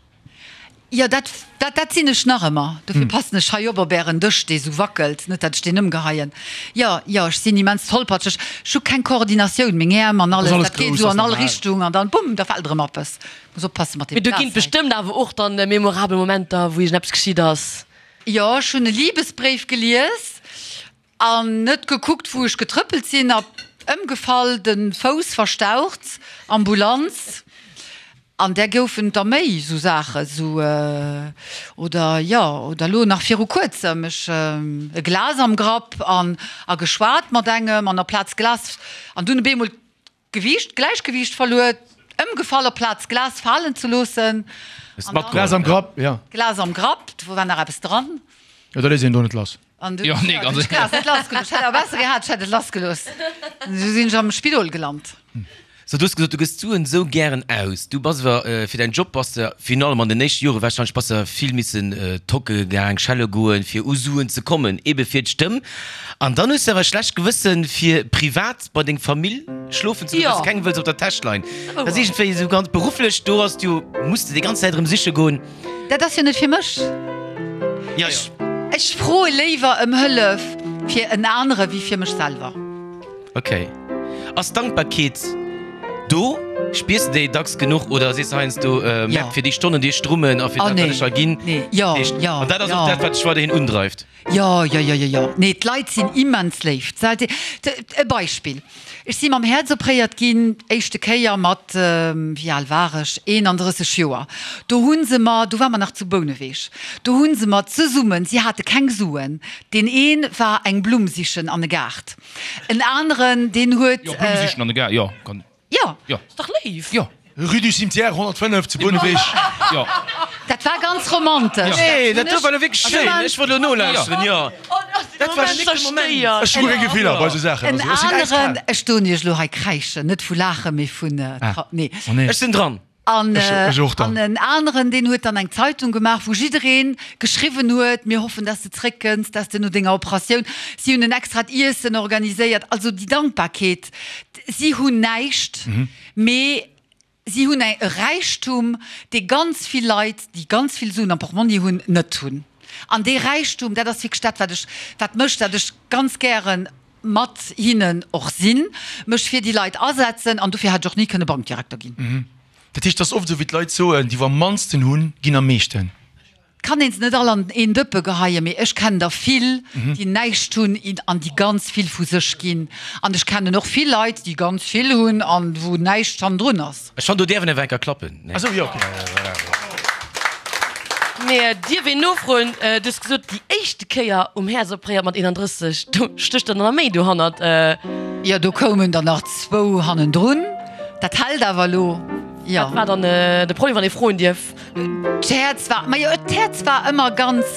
Jo, dat, dat, dat sinn ech nach ëmmer. Dofir passen ech hei op op ären Dësch, dee sou wackelt, net dat ech deen ëmgeheien. Jo, jo, ech sinn immens tollpatscheg. Ech hu keng Koordinatioun, meng Äerm an alles, dat geet esou an all Richtung an dann, bumm, da fält erëm eppes. Muss oppasse mat deem Mee do ginn Glas et hei. bestëmmt awer och dann memorabel Momenter, wou iergendeppes geschitt ass. Jo, ech hunn e Libesbréif gelies An net gekuckt wou ech getrëppelt sinn a ëmgefall, den Fouss verstaucht, Ambulanz. An där goufen der méi sou Saachen, sou oder jo oder lo nach viru kuerzem, ech e Glas am Grapp an a geschwat mat engem an aplaz Glas an dunn op eemol D'Gewiicht, d'Gläichgewiicht verluer, ëmgefall aplaz d'Glas falen ze loossen. Hues matgeholl? Glas am Grapp, ja. Glas am Grapp, do war nach eppes dran. Jo, da léisst een do net lass. An du, Jo, nee, ganz ech d'Glas net lassgelooss. Ech hätt awer besser gehat, ech hätt et lassgelooss. Esou sinn ech am Spidol gelant. So, du hues gesot, du gëss d'Suen esou gären aus. Du bass awer, fir däin Job bass de, virun allem an den éischte Jore warscheinlech, bass de vill missen tocke gaang, schelle goen, fir u Suen ze kommen, ebe fir d'Stëmm. An dann hues de awer e schlecht Gewëssen, fir privat bei deng Famill schlofen ze goen, well s de kengem wëlls op der Täsch leien. Dat ass iergendwéi esou ganz berufflech, do ass du, muss de déi ganz Zäit erëm siche goen. Dat ass jo net fir mech. Jo, jo. Ech froe léiwer ëm Hëllef fir en anere wéi fir mech selwer. Ok. Ass Dankbarkeet do? Spiers de déi dacks genuch oder sees de heiansdo, Merk fir déi Stonnen, déi ech drummen a fir dat, wat ech hei ginn? An dat ass och dat, wat dech weiderhin undreift? Jo, jo, jo, jo, jo. Nee, d'Leit sinn immens léif. E Beispill, Ech si mam Häerz opréiert ginn, éischte Kéier mat, wéi al war ech, 31 Joer. Do hu se mer, do ware mer nach zu Bouneweg, do hu se mer zesummen, si hate keng Suen, deen ee war eng Blumm sichen an e Gaart, en aneren, deen huet. Jo, Blumm sichen an e Gaart, jo, kann. Jo. Jo. Ass dach léif. Jo. Rue du Cimetière 105 zu Bouneweg. Jo. Dat war ganz romantesch. Nee, dat do war lo wierklech schéin. Ech wollt lo nolauschteren, jo. Dat war schéin Moment. Ech hu guer keng Gefiller bei esou Saachen. En Also ech sinn äiskal. aneren, ech doen iech elo hei kräischen, net vu Laachen, mee vun, nee. Oh nee. Ech sinn dran. An Ech och dann. an en aneren, deen huet dann eng Zeitung gemaach, wou jidderee geschriwwen huet, Mir hoffen, dass de zréckkënns, dass de no denger Operatioun. Si hunn en extrat Iessen organiséiert. Also déi Dankbarkeet, si hunn näischt, mee si hunn e Räichtum, dee ganz vill Leit, déi ganz vill Suen am Portmonni hunn, net hunn. An dee Räichtum, dat ass wierklech dat, wat ech, wat mécht, datt ech ganz gären mat hinnen och sinn, mech fir déi Leit asetzen an dofir hätt ech och ni kënne Bankdirekter ginn. Dat heescht, et ass oft esou, wéi d'Leit soen, déi wou am mannsten hunn, ginn am meeschten. Et kann een se net all an een Dëppe geheien, mee ech kennen der vill, déi näischt hunn an déi ganz vill vu sech ginn. An ech kennen och vill Leit, déi ganz vill hunn an wou näischt hannendrun ass. Ech fannen do däerf een awer enker klappen, nee? Ah sou, jo, ok. Mee dierf een nofroen, du hues gesot déi éischte Kéier um Häerz opréiert mat 31, do stécht der nach méi dohannert. Jo, do koumen der nach zwou hannendrun. Dat hält awer elo, jo. Wat war dann de Problem, wann ee froen dierf? D'Häerz war, majo, d'Häerz war ëmmer ganz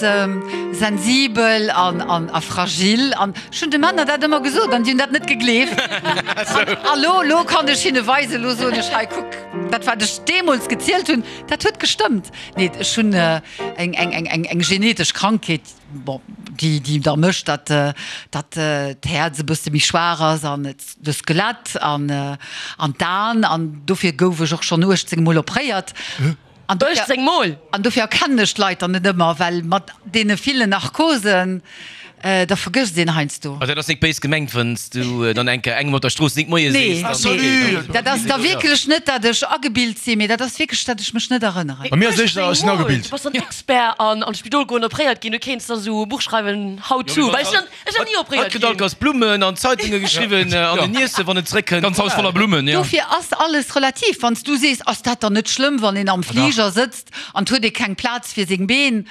sensibel an, an, a fragil. An ech hunn de Männer dat ëmmer gesot an déi hunn dat net gegleeft. An a lo, lo kann ech hinne weisen, lo soen ech, hei kuck, dat wat ech deemools gezielt hunn, dat huet gestëmmt. Nee, ech hunn eng, eng, eng, eng, eng genetesch Krankheet, bon, déi, déi da mécht, datt, datt d'Häerz e bësse méi schwaach ass an et, de Skelett an, an d'Aen. An dofir gouf ech och schonn 18 Mol opréiert. An dofir, 18 Mol? An dofir erkennen ech d'Leit dann net ëmmer, well mat deene villen Narkosen, da vergësst een heiansdo. Also dat ass nik béis gemengt, wann s du dann eng Kéier engem op der Strooss nik Moie Nee, sees, dann nee, dat ass da wierklech net, dat ech agebilt sinn, mee dat ass wierklech, dat ech mech net erënneren. Bei mir ass et éischter, ech sinn agebilt. Du bass dann Expert an an d'Spidol goen, opréiert ginn, du kéints da sou e Buch schreiwen, How to, well ech sinn ech sinn ni opréiert Hatt kritt all ginn. Kéiers Blummen an Zeitunge geschriwwen an en Iesse wann en zeréckkënnt. Ganz Haus voller Blummen, jo. Dofir ass alles relativ. Wann s du sees, ass dat dann net schlëmm, wann een am Fliger sëtzt an 't huet ee keng Plaz fir seng Been,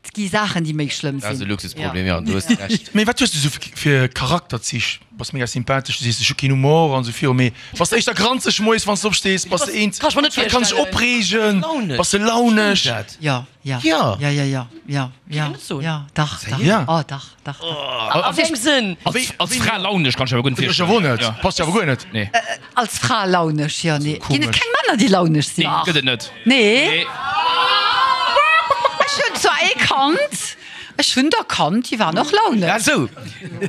Et gi Saachen, déi méi schlëmm Dat ass e sinn. Luxusproblem, jo, du hues Recht. Mee wat hues du sou fir Charakterzich? Bass mega sympathesch, du sees ech hu keen Humor an esou viru, mee bass de éischter granzeg moies wann s de opstees? Bass de eent, Kann ech mer net dat kann sech virstellen. opreegen? Launesch. Bass de launesch? Stimmt dat? Jo, jo, Jo. jo, jo, jo, jo, jo, net soen. jo, dach, dach, Ja. oh, dach, dach, dach. A wéi engem Sënn? Als, als Fra launesch kann ech awer guer net Ech awer och virstellen. net, Jo. passt jo awer guer net. Nee. Als Fra launesch, jo, nee. Ginn et Komesch. keng Männer, déi launesch sinn? Nee, gëtt et net. Nee. Nee. Ech hunn zwar ee kannt, ech hunn der kannt, déi waren och launesch. Ah sou.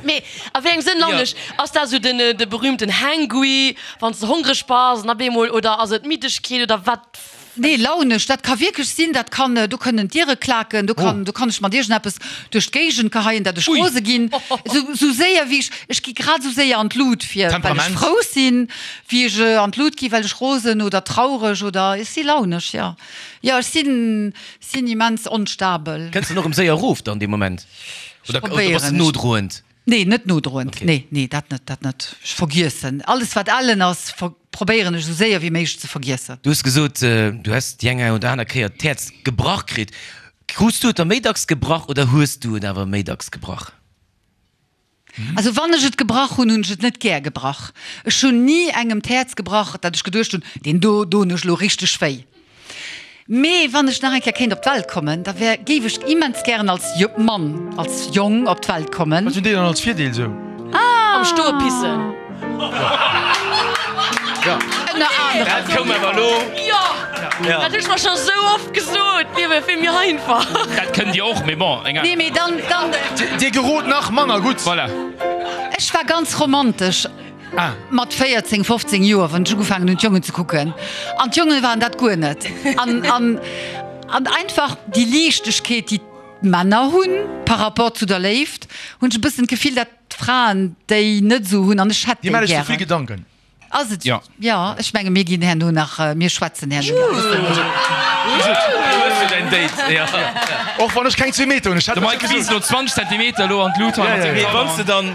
Mee a wéi engem Sënn launesch? Ass dat esou den, de berühmten Hangry, wann s de hongreg bass an op eemol, oder ass et Middegkeet oder wat? Nee, launesch, dat ka wierklech sinn, dat kann, do kënnen d'Diere klaken, do kann, do kann ech mat iergendeppes duerch d'Géigend geheien, dat ech rose ginn. Esou, esou séier wéi ech, ech gi grad esou séier an d'Lut fir, well ech frou sinn, wéi ech an d'Lut gi well ech rosen oder traureg oder, ech si launesch, jo. Jo, ech sinn, sinn immens onstabel. Kënns de dann och erëm séier erof dann dee Moment? Oder, oder bass de nodroend? Nee, net nodroend. Nee, nee, dat net, dat net. Ech vergiessen alles wat ellen ass, probéieren ech esou séier wéi méiglech ze vergiessen. Du hues gesot, du häss déi eng oder aner Kéier d'Häerz gebrach kritt. Krus du et der méi dacks gebrach oder hues du et awer méi dacks gebrach? Also wann ech et gebrach hunn, hunn ech et net gär gebrach. Ech hunn ni engem d'Häerz gebrach, dat ech geduecht hunn, deen do doen ech elo richteg wéi. Mee wann ech nach eng Kéier kéint op d'Welt kommen, da wär, géif ech immens gären als Mann, als Jong op d'Welt kommen. Wat hunn déi dann als Virdeel sou? Am Stoe pissen. Ënner anerem. Dat koum awer elo. Jo, dat hunn ech mer scho sou oft gesot, d'Liewe wier vill méi einfach. Dat kënnt Dir och, mee bon, eng aner. Nee, mee dann, dann. Dir gerot nach manner gutt. Voilà. Ech war ganz romantesch. Mat 14, 15 Joer, wann ech ugefaangen hunn d'Jongen ze kucken, an d'Jongen waren dat guer net. An, an, an einfach déi Liichtegkeet, déi d'Männer hunn par rapport zu der Léift, hunn ech e bëssen d'Gefill, dat d'Fraen déi net esou hunn an ech hätt Dir déi maacht iech ze vill gären. Gedanken. Ass et? Jo. Jo, ech menge mir ginn herno nach, mir schwätzen herno nach e bëssen. Du hues jo däin Date, jo. Och wann ech keng zwee Meter hunn, ech hätt De dat Mike scho wiisst gesot. elo 20 Zentimeter elo an d'Lut hei mat sengem Mee wann s Talent. de dann.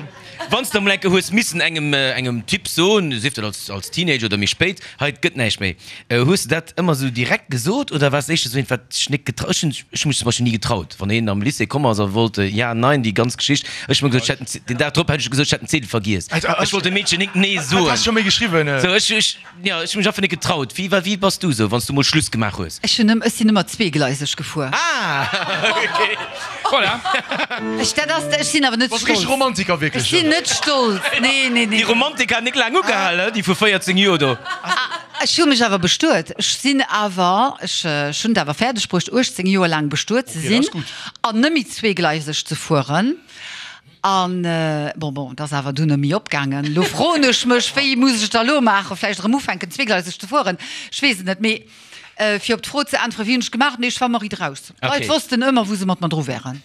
Wann s de emol eng Kéier hues missen engem engem Typ soen, sief dat als als Teenager oder méi spéit, hei et gëtt näischt méi, hues de dat ëmmer esou direkt gesot oder waars de éischter esou een, wat sech net getraut? Ech hunn ech hu mech zum Beispill ni getraut, wann een am Lycée komm ass a wollt ja, nein, déi ganz Geschicht, ech hu mer gesot, ech hätt den den Dag drop hätt ech gesot, ech hätt den Ziedel vergiess. Ech wollt dem Meedchen nik nee Wat soen. has scho méi geschriwwen? Sou ech ech jo, ech hu mech einfach net getraut. Wéi war wéi bass du esou, wann s du mol Schluss gemaach hues? Ech hunn ech sinn ëmmer zweegleiseg gefuer. Ah, ok. Voilà. Ech, dat ass, ech sinn awer net Bass richteg stolz. Romantiker Ech wierklech. sinn net stolz. Nee, nee, nee. Déi Romantik hat nik laang ugehal, he, déi vu 14 Joer do. Ech hu mech awer bestuet. Ech sinn awer, ech, ech hunn et awer fäerdeg bruecht, 18 Joer laang bestuet ze Ok, dat sinn ass gutt. an net méi zweegleiseg ze fueren. An, bon, bon, et ass awer dunn net méi opgaangen. Elo froen ech mech, wéi muss ech da elo maachen? Vläicht erëm ufänken, zweegleiseg ze fueren? Ech weess et net. Mee fir op d'Fro ze äntweren, wéi hunn ech gemaach? Nee, ech war ëmmer riit eraus. D'Leit wossten ëmmer, wou se mat mer dru wären.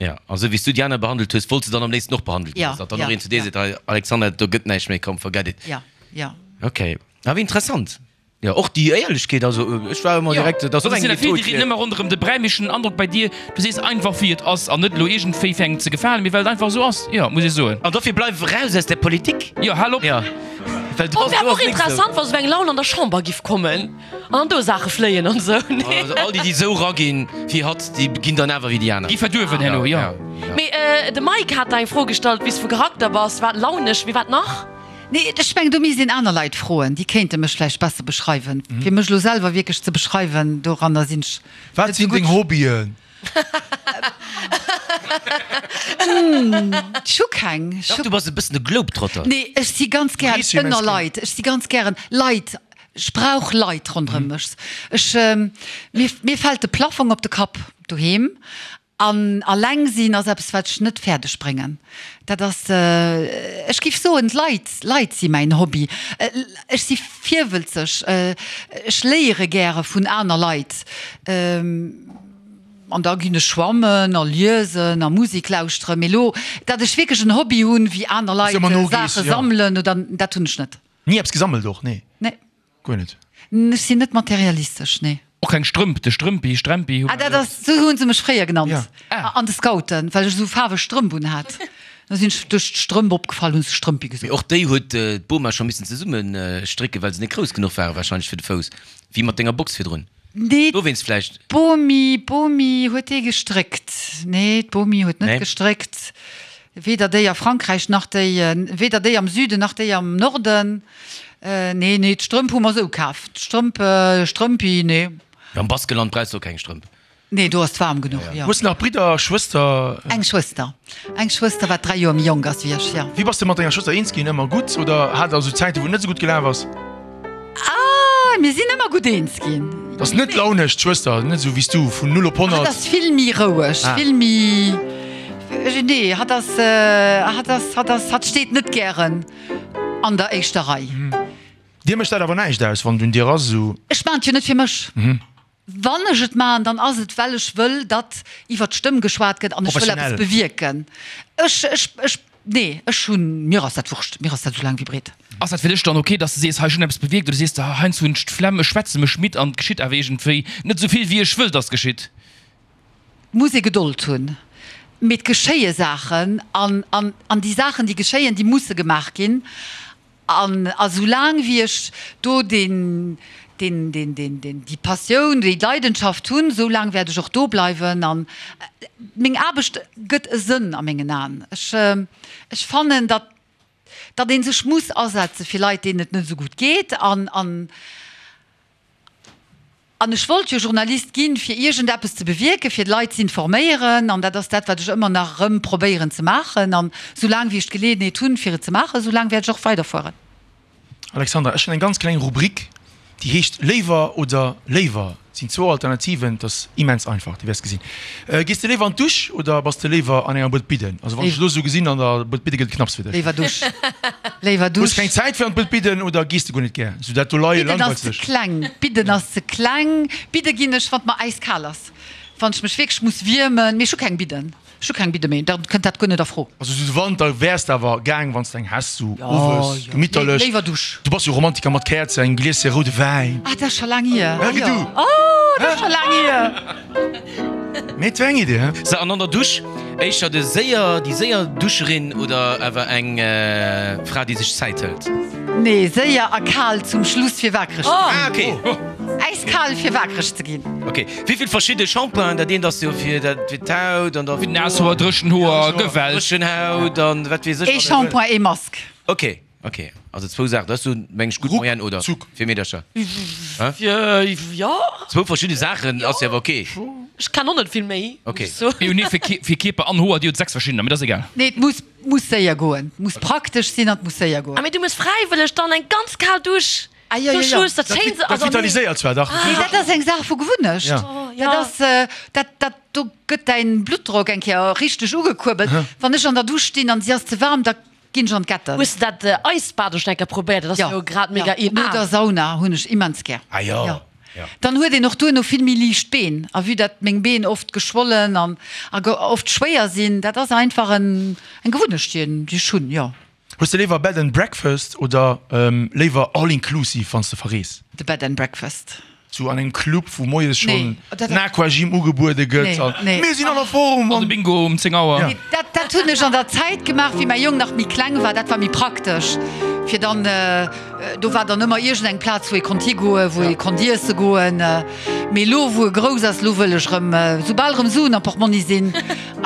Jo, a sou wéi s du déi aner behandelt hues, wollts de dann am léifsten och behandelt ginn. Datt dann och een zu dir seet, hei Alexandra, do gëtt näischt méi, komm, forget it. Jo, jo. Ok, awer interessant. Jo, och déi Éierlechkeet, also ech war ëmmer direkt, dat ass och eng Method fir. Déi rieden ëmmer ronderëm de Bräi, mee ech hunn den Androck bei dir, du sees einfach wéi et ass an net elo iergendwéi fir engem ze gefalen, mee well et einfach esou ass, jo, muss ech soen. An dofir bleif eraus aus der Politik. Jo, hal op. Jo, well do Oh, wär ass och nix esou. interessant, wa sou eng Laun an der Chamber giff kommen an dann do Saache fléien an esou, nee? Also all déi, déi esou raginn wéi hatt, déi ginn dann awer wéi déi aner. Gi verduerwen herno, jo. Mee de Mike hat der eng Fro gestallt, wéi s du vu Charakter bass, wat launesch, mee wat nach? Nee, ech mengen, do misst een aner Leit froen, déi kéinte mech vläicht besser beschreiwen. Fir mech elo selwer wierklech ze beschreiwen, doranner sinn ech Wat net esou sinn deng gutt. Hobbyen? Ech hu keng. Ech Dach, hu. du bass e bëssen e Globetrotter. Nee, ech si ganz gären Riis immens ënner gär. Leit. Ech si ganz gären Leit. Ech brauch Leit ronderëm mech. Ech, mir, mir fält de Plafong op de Kapp doheem. An alleng sinn ass eppes, wat ech net fäerdeg bréngen. Dat ass, ech géif soen, d'Leit, Leit si mäin Hobby. Ech si virwëlzeg, ech léiere gäre vun aner Leit. An da ginn ech schwammen a liesen a Musek lauschteren. Mee elo, datt ech wierklech en Hobby hunn, wéi aner Leit Saache sammelen oder, dat hunn ech net. Ni eppes gesammelt och? Nee. Nee. Guer net? Ech sinn net materialistesch, nee. Och keng Strëmp, de Strëmpi, Strempi hu Ah, dat ass, sou hunn se mech fréier genannt Ja. an de Scouten, well ech esou faarweg Strëmp un hat. Da sinn ech duerch d'Strëmp opgefall, hunn se Strëmpi Mee gesot. och déi huet d'Boma scho missen zesumme strécken, well se net grouss genuch ware warscheinlech fir de Fouss, wéi mat denger Box virdrun. Nee, Dowéinst vläicht. d'Bomi, d'Bomi huet déi gestréckt. Nee, d'Bomi huet net Nee? gestréckt. Weder déi a Frankräich nach déi, weder déi am Süden nach déi am Norden. Nee, nee, d'Strëmp hu mer sou kaf. D'Strëmp, Strëmpi, nee. Am Baskeland brauchs de och keng Strëmp. Nee, do ass et waarm genuch, jo. Hues de nach Bridder, Schwëster? Eng Schwëster. Eng Schwëster, wat 3 Joer méi jonk ass wéi ech, jo. Wéi bass de mat denger Schwëster eens ginn? Ëmmer gutt oder hat der esou Zäiten, wou et net esou gutt gelaf ass? Ah, mir sinn ëmmer gutt eens ginn. Ass net launesch, d'Schwëster, net esou wéi s du, vun 0 op 100? Hatt ass vill méi roueg, vill méi, nee, hatt ass, hatt ass, hatt ass, hatt steet net gären an der éischter Rei. Dir mécht dat awer näischt aus, wann et un dir ass, esou? Ech maachen et jo net fir mech. Wann ech et maachen, dann ass et, well ech wëll, datt iwwer d'Stëmm geschwat gëtt an ech wëll eppes bewierken. Ech, ech, ech, nee, ech hunn, mir ass dat Wurscht, mir ass dat esou laang wéi breet. Ass dat fir dech dann ok, datt s de sees, hei ech hunn eppes bewierkt, oder sees de, heiansdo hunn ech d'Flemm, ech schwätze mech midd an et geschitt awer iergendwéi net esou vill, wéi ech wëll, datt geschitt? Et muss ee Gedold hunn, mee et geschéie Saachen an, an, an déi Saachen, déi geschéien, déi musse gemaach ginn. An a soulaang wéi ech do deen, deen, deen, deen, deen, déi Passioun, déi Leidenschaft hunn, soulaang wäert ech och do bleiwen. An meng Aarbecht gëtt e Sënn a mengen Aen. Ech, ech fannen, datt, datt ee sech muss asetze fir Leit, deenen et net esou gutt geet. An, an. An ech wollt jo Journalist ginn, fir iergendeppes ze bewierken, fir d'Leit z'informéieren. An dat ass dat, wat ech ëmmer nach erëm probéieren ze maachen. An soulaang wéi ech d'Geleeënheet hunn, fir et ze maachen, soulaang wäert ech och weiderfueren. Alexandra, ech hunn eng ganz kleng Rubrik, déi heescht Léiwer oder léiwer. Et sinn zwou Alternativen, et ass immens einfach, du wäers gesinn. Gees de léiwer an d'Dusch oder bass de léiwer an enger Buet Bidden? Also wann ech dech elo esou gesinn, an der Buet Bidde gëtt et knapps fir dech. Léiwer Dusch. Léiwer Dusch. Hues keng Zäit fir an d'Buet Bidden oder gees de guer net gär? Sou dat do leie Bidden ass langweilt ze sech. kleng. Bidden ass ze kleng. Bidde ginn ech, wann et mer äiskal ass. Wann ech mech wierklech muss wiermen. Mee ech hu keng Bidden. Ech hu keng Bidde méi. Da kënnt dat guer net a Fro. Also sou de Wanter wäers de awer gaang, wann s de eng häss, sou owes, gemitterlech. Léiwer Dusch. Du bass jo Romantiker mat Käerzen, engem Glieschen roude Wäin. Ah, dat ass scho laang hier. Ja, du. Oh, dat ass scho laang hier. Mee et wär eng Idee, he? Sou, an an der Dusch, éischter de séier, déi séier Duscherin oder awer eng Fra, déi sech Zäit hëlt? Nee, séier a kal zum Schluss fir waakreg ze ginn. Ah, okay. Äiskal fir waakreg ze ginn. Ok, wéivill verschidde Shampoingen, dat eent ass jo fir dat, fir d'Haut an da. Fir naass Hoer, dréchen Hoer, Gewelt. Dréchen Haut an wat weess ech. Ee Shampoing, ee Mask. Ok. Ok, also zwou Saachen, dat ass jo meng ech gutt Moyenne, oder? Fir Meedercher? Jo. Zwou verschidde Saachen ass jo awer ok. Ech kennen och net vill méi. Ok. Jo, nee, fir fir Kierper an Hoer, déi huet 6 verschiddener, mee dat ass egal. Nee, et muss muss séier goen, et muss praktesch sinn an et muss séier goen. Ah, mee du muss fräiwëlleg dann eng ganz kal Dusch Ah, jo, jo, zum jo. Schluss, dat schéint se, Dat also nee. vitaliséiert zwar dach. Nee, dat ass eng Saach vu Gewunnecht. Ja. Dat ass, dat dat do gëtt däin Bluttdrock eng Kéier richteg ugekuerbelt. Wann ech an der Dusch stinn an si ass ze waarm, da Ginn ech an d'Getten. Hues de dat Eisbad och schon eng Kéier probéiert? Dat ass jo grad mega in. No der Sauna hunn ech immens gär. Ah jo. Dann huet een och duerno vill méi liicht Been. A vue dat meng Been oft geschwollen an oft schwéier sinn, dat ass einfach eng Gewunnecht déi ech hunn, jo. Hues de léiwer Bed and Breakfast oder léiwer All Inclusive wanns de verrees? De Bed and Breakfast. Sou an engem Club wou moies schonn den Aquagym ugebuede gëtt an mir sinn an der Form an de Bingo um 10 Auer. Nee, dat dat hunn ech an der Zäit gemaach wéi mäi Jong nach méi kleng war. Dat war méi praktesch fir dann, do war dann ëmmer iergend eng Plaz wou ee konnt higoen, wou ee konnt iesse goen. Mee elo wou e grouss ass, elo wëll ech erëm, soubal erëm Suen am Portmonni sinn,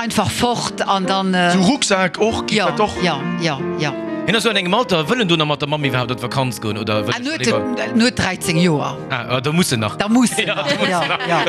Einfach fort an dann. Sou Rucksak och, geet dat och? Jo, jo, jo. Hien ass jo an engem Alter, wëll en do nach mat der Mamm iwwerhaapt op d'Vakanz goen oder wëll En huet, en huet 13 Joer. Ah, da muss en nach. Da muss en nach, jo, jo.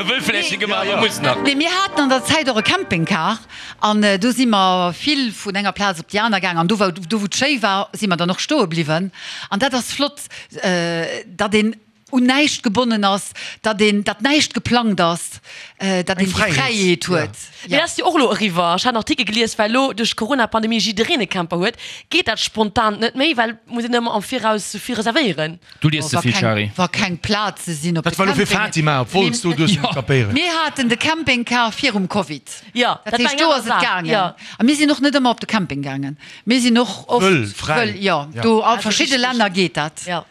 E wëll vläicht net gemaach, awer muss nach. Nee, mir haten an der Zäit och e Campingcar an do si mer vill vun enger Plaz op déi aner gaang an do wou, do wou et schéi war, si mer dann och stoe bliwwen an dat ass flott, datt een un näischt gebonnen ass, datt een, datt näischt geplangt ass, datt een déi Fräiheet huet. Mee dat ass jo och elo eriwwer. Ech hat en Artikel gelies, well elo duerch d'Corona-Pandemie jiddereen e Camper huet, geet dat spontant net méi, well et muss een ëmmer am Viraus sou vill reservéieren. Du lies ze vill, Shari. Wa keng Plaze sinn op de Dat war elo fir Campingen. Fatima, obwohl s du duerst net kapéieren. Mir haten de Campingcar virum Covid. Jo, Dat dat war heescht, eng do aner ass et Saach, gaangen. jo. A mir sinn och net ëmmer op de Camping gaangen. Mir sinn och oft Wëll, fräi. wëll, jo, do a verschidde Richtig. Länner geet dat. Jo.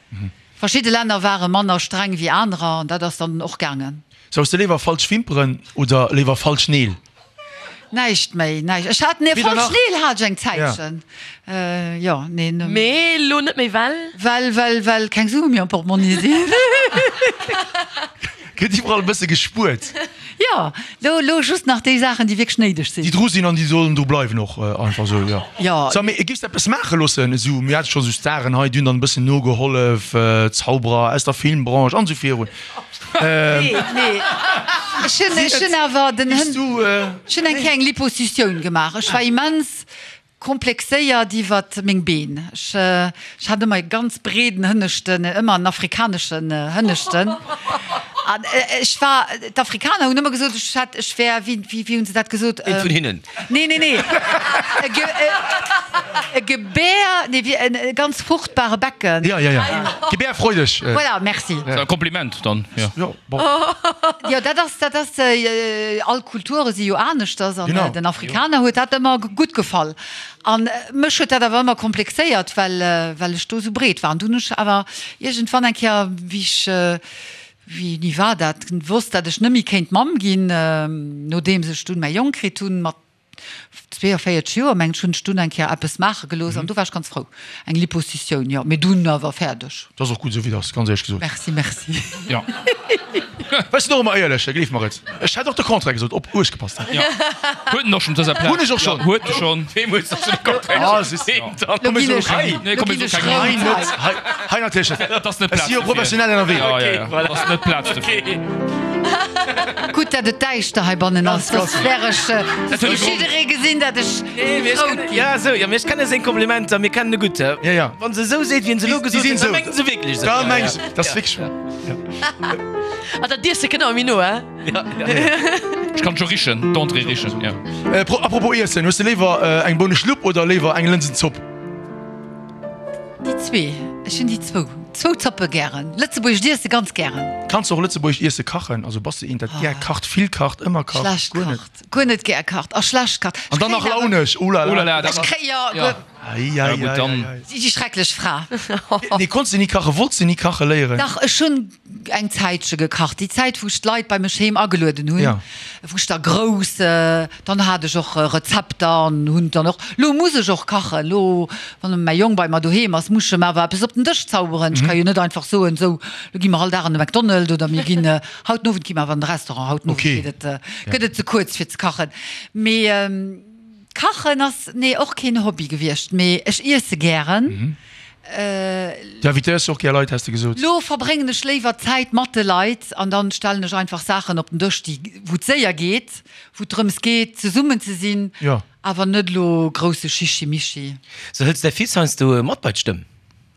Verschidde Länner ware manner streng wéi anerer an dat ass dann och gaangen. Sou, hues de léiwer falsch Wimperen oder léiwer falsch Neel? Näischt méi, näischt. Ech hat, nee, Weder falsch nach. Neel hat ech eng Zäitchen. Jo, nee. Mee elo net méi, well? Well, well, well keng Sue méi am Portmonni sinn. Gëtt iwwerall e bësse gespuert. Jo, lo, lo just nach déi Saachen, déi wierklech néideg sinn. Déi dru sinn an déi sollen dru bleiwen och einfach esou, jo. Jo. So, mee giffs de eppes maache loossen? Esou, mir hate scho sou Staren hei, déi hunn dann e bëssen nogehollef, Zauberer aus der Filmbranche an esou virun. Nee, nee. Ech hunn, ech hunn awer den Hënn, ech hunn eng Kéier eng Liposuctioun gemaach. Ech war immens Komplexéiert iwwert meng Been. Ech hat ëmmer e ganz breeden Hënneschten, ëmmer en afrikaneschen Hënneschten. An ech war, d'Afrikaner hunn ëmmer gesot, ech hätt, ech wär, wéi, wéi hunn se dat gesot? Een vun hinnen? Nee, nee, nee. E Gebär, nee, wéi en e ganz fruchtbare Becken. Ja, ja, ja. Gebärfreudig. Voilà, merci. Dat ass e Kompliment dann, jo. Jo, bon. Jo, dat ass, dat ass, all Kulture si jo aneschters an Genau. den Afrikaner huet dat ëmmer gutt gefall. An mech huet dat awer ëmmer komplexéiert, well, well ech do esou breet war. An dunn hunn ech awer iergendwann eng Kéier, wéi ech, wéini war dat, wosst, dat ech net méi kéint Mamm ginn, nodeems ech dunn mäi Jong kritt hunn, mat 42 Joer mengen ech, hunn ech dunn eng Kéier eppes maache gelooss an do war ech ganz frou. Eng Liposutioun, jo, mee dunn awer fäerdeg. Dat ass och gutt esou wéi et ass, ganz éierlech gesot. Merci, merci. Jo. Ech sinn och ëmmer éierlech, gleef mer et. Ech hätt och de Contraire gesot, op uecht gepasst hätt. Jo. Huet en och schonn op dëser Plaz. Hunn ech och schonn. Jo, huet e schonn. Wem hues de schonn de Contraire Ah, gesot? siehst du. Wem dann? Lo ginn ech, Hei, Nee, lo komm, mir ginn soe ech keng hei rout net, hei. hei, hei natierlech net. Dat ass net Ech Plaz si jo dofir. professionell ënnerwee. Ja, ja, ja. Okay, voilà. Dat ass net Plaz dofir. Okay. Gutt, dat et däischter heibannen ass, soss wär ech, soss géif jidderee gesinn, dat ech Nee, mee ech rout kennen, ginn. ja, esou, ja, mee ech kenne seng Komplimenter, mir kennen e gutt, hä? Ja, ja. Wann se esou seet, wéi en se elo Déi gesot sinn huet, da esou. mengt se wierklech esou. Da Ja, meng ja. se, dat ass wierklech wahr. Ah, dat Iesse kënnt awer méi no, hä? Ja, ja. Ech kann scho richen, d'Entrée richen, ja. Äh, pro, apropos Iessen, hues de léiwer eng Bouneschlupp oder léiwer eng Lënsenzopp? Déi zwee, ech hunn déi zwou, zwou Zoppe gären. Lëtzebuergescht Iesse ganz gären. Kanns de och lëtzebuergescht Iesse kachen? Also bass de eent dat gär kacht, vill kacht, ëmmer kacht, Schlecht guer net? kacht, guer net gär kacht a schlecht kacht. An dann nach launesch, oh la la. Oh la la, dat Ech ass, kréi, jo, ja. Ei, ei, Ja, gutt, ei, dann. ei, ei. Déi schrecklech Fra. Nee, konns de ni kachen? Wollts de ni kache léieren? Dach, ech hunn eng Zäitche gekacht, déi Zäit wou ech d'Leit bei mech heem agelueden hunn, Ja. wou ech da grouss, dann hat ech och Rezepter an hunn dann och, lo muss ech och kachen, lo wann mäi Jong bei mer doheem ass, muss ech em awer eppes op den Dësch zauberen. Ech ka jo net einfach soen, sou lo gi mer all Dag an de McDonald oder mir ginn, haut den Owend gi mer awer an de Restaurant, haut den Owend Okay. geet et, gëtt et ze kuerz fir ze kachen. Mee Kachen ass, nee, och keen Hobby gewiescht, mee ech iesse gären. Du invitéiers jo och gär Leit, has de gesot. Lo verbréngen ech léiwer Zäit mat de Leit an dann stellen ech einfach Saachen op den Dësch, déi, wou et séier geet, wou et drëms geet, zesummen ze sinn, awer net elo grousse Chichi-Michi. Sou, hëls de däi Fils heiansdo mat bei d'Stëmm?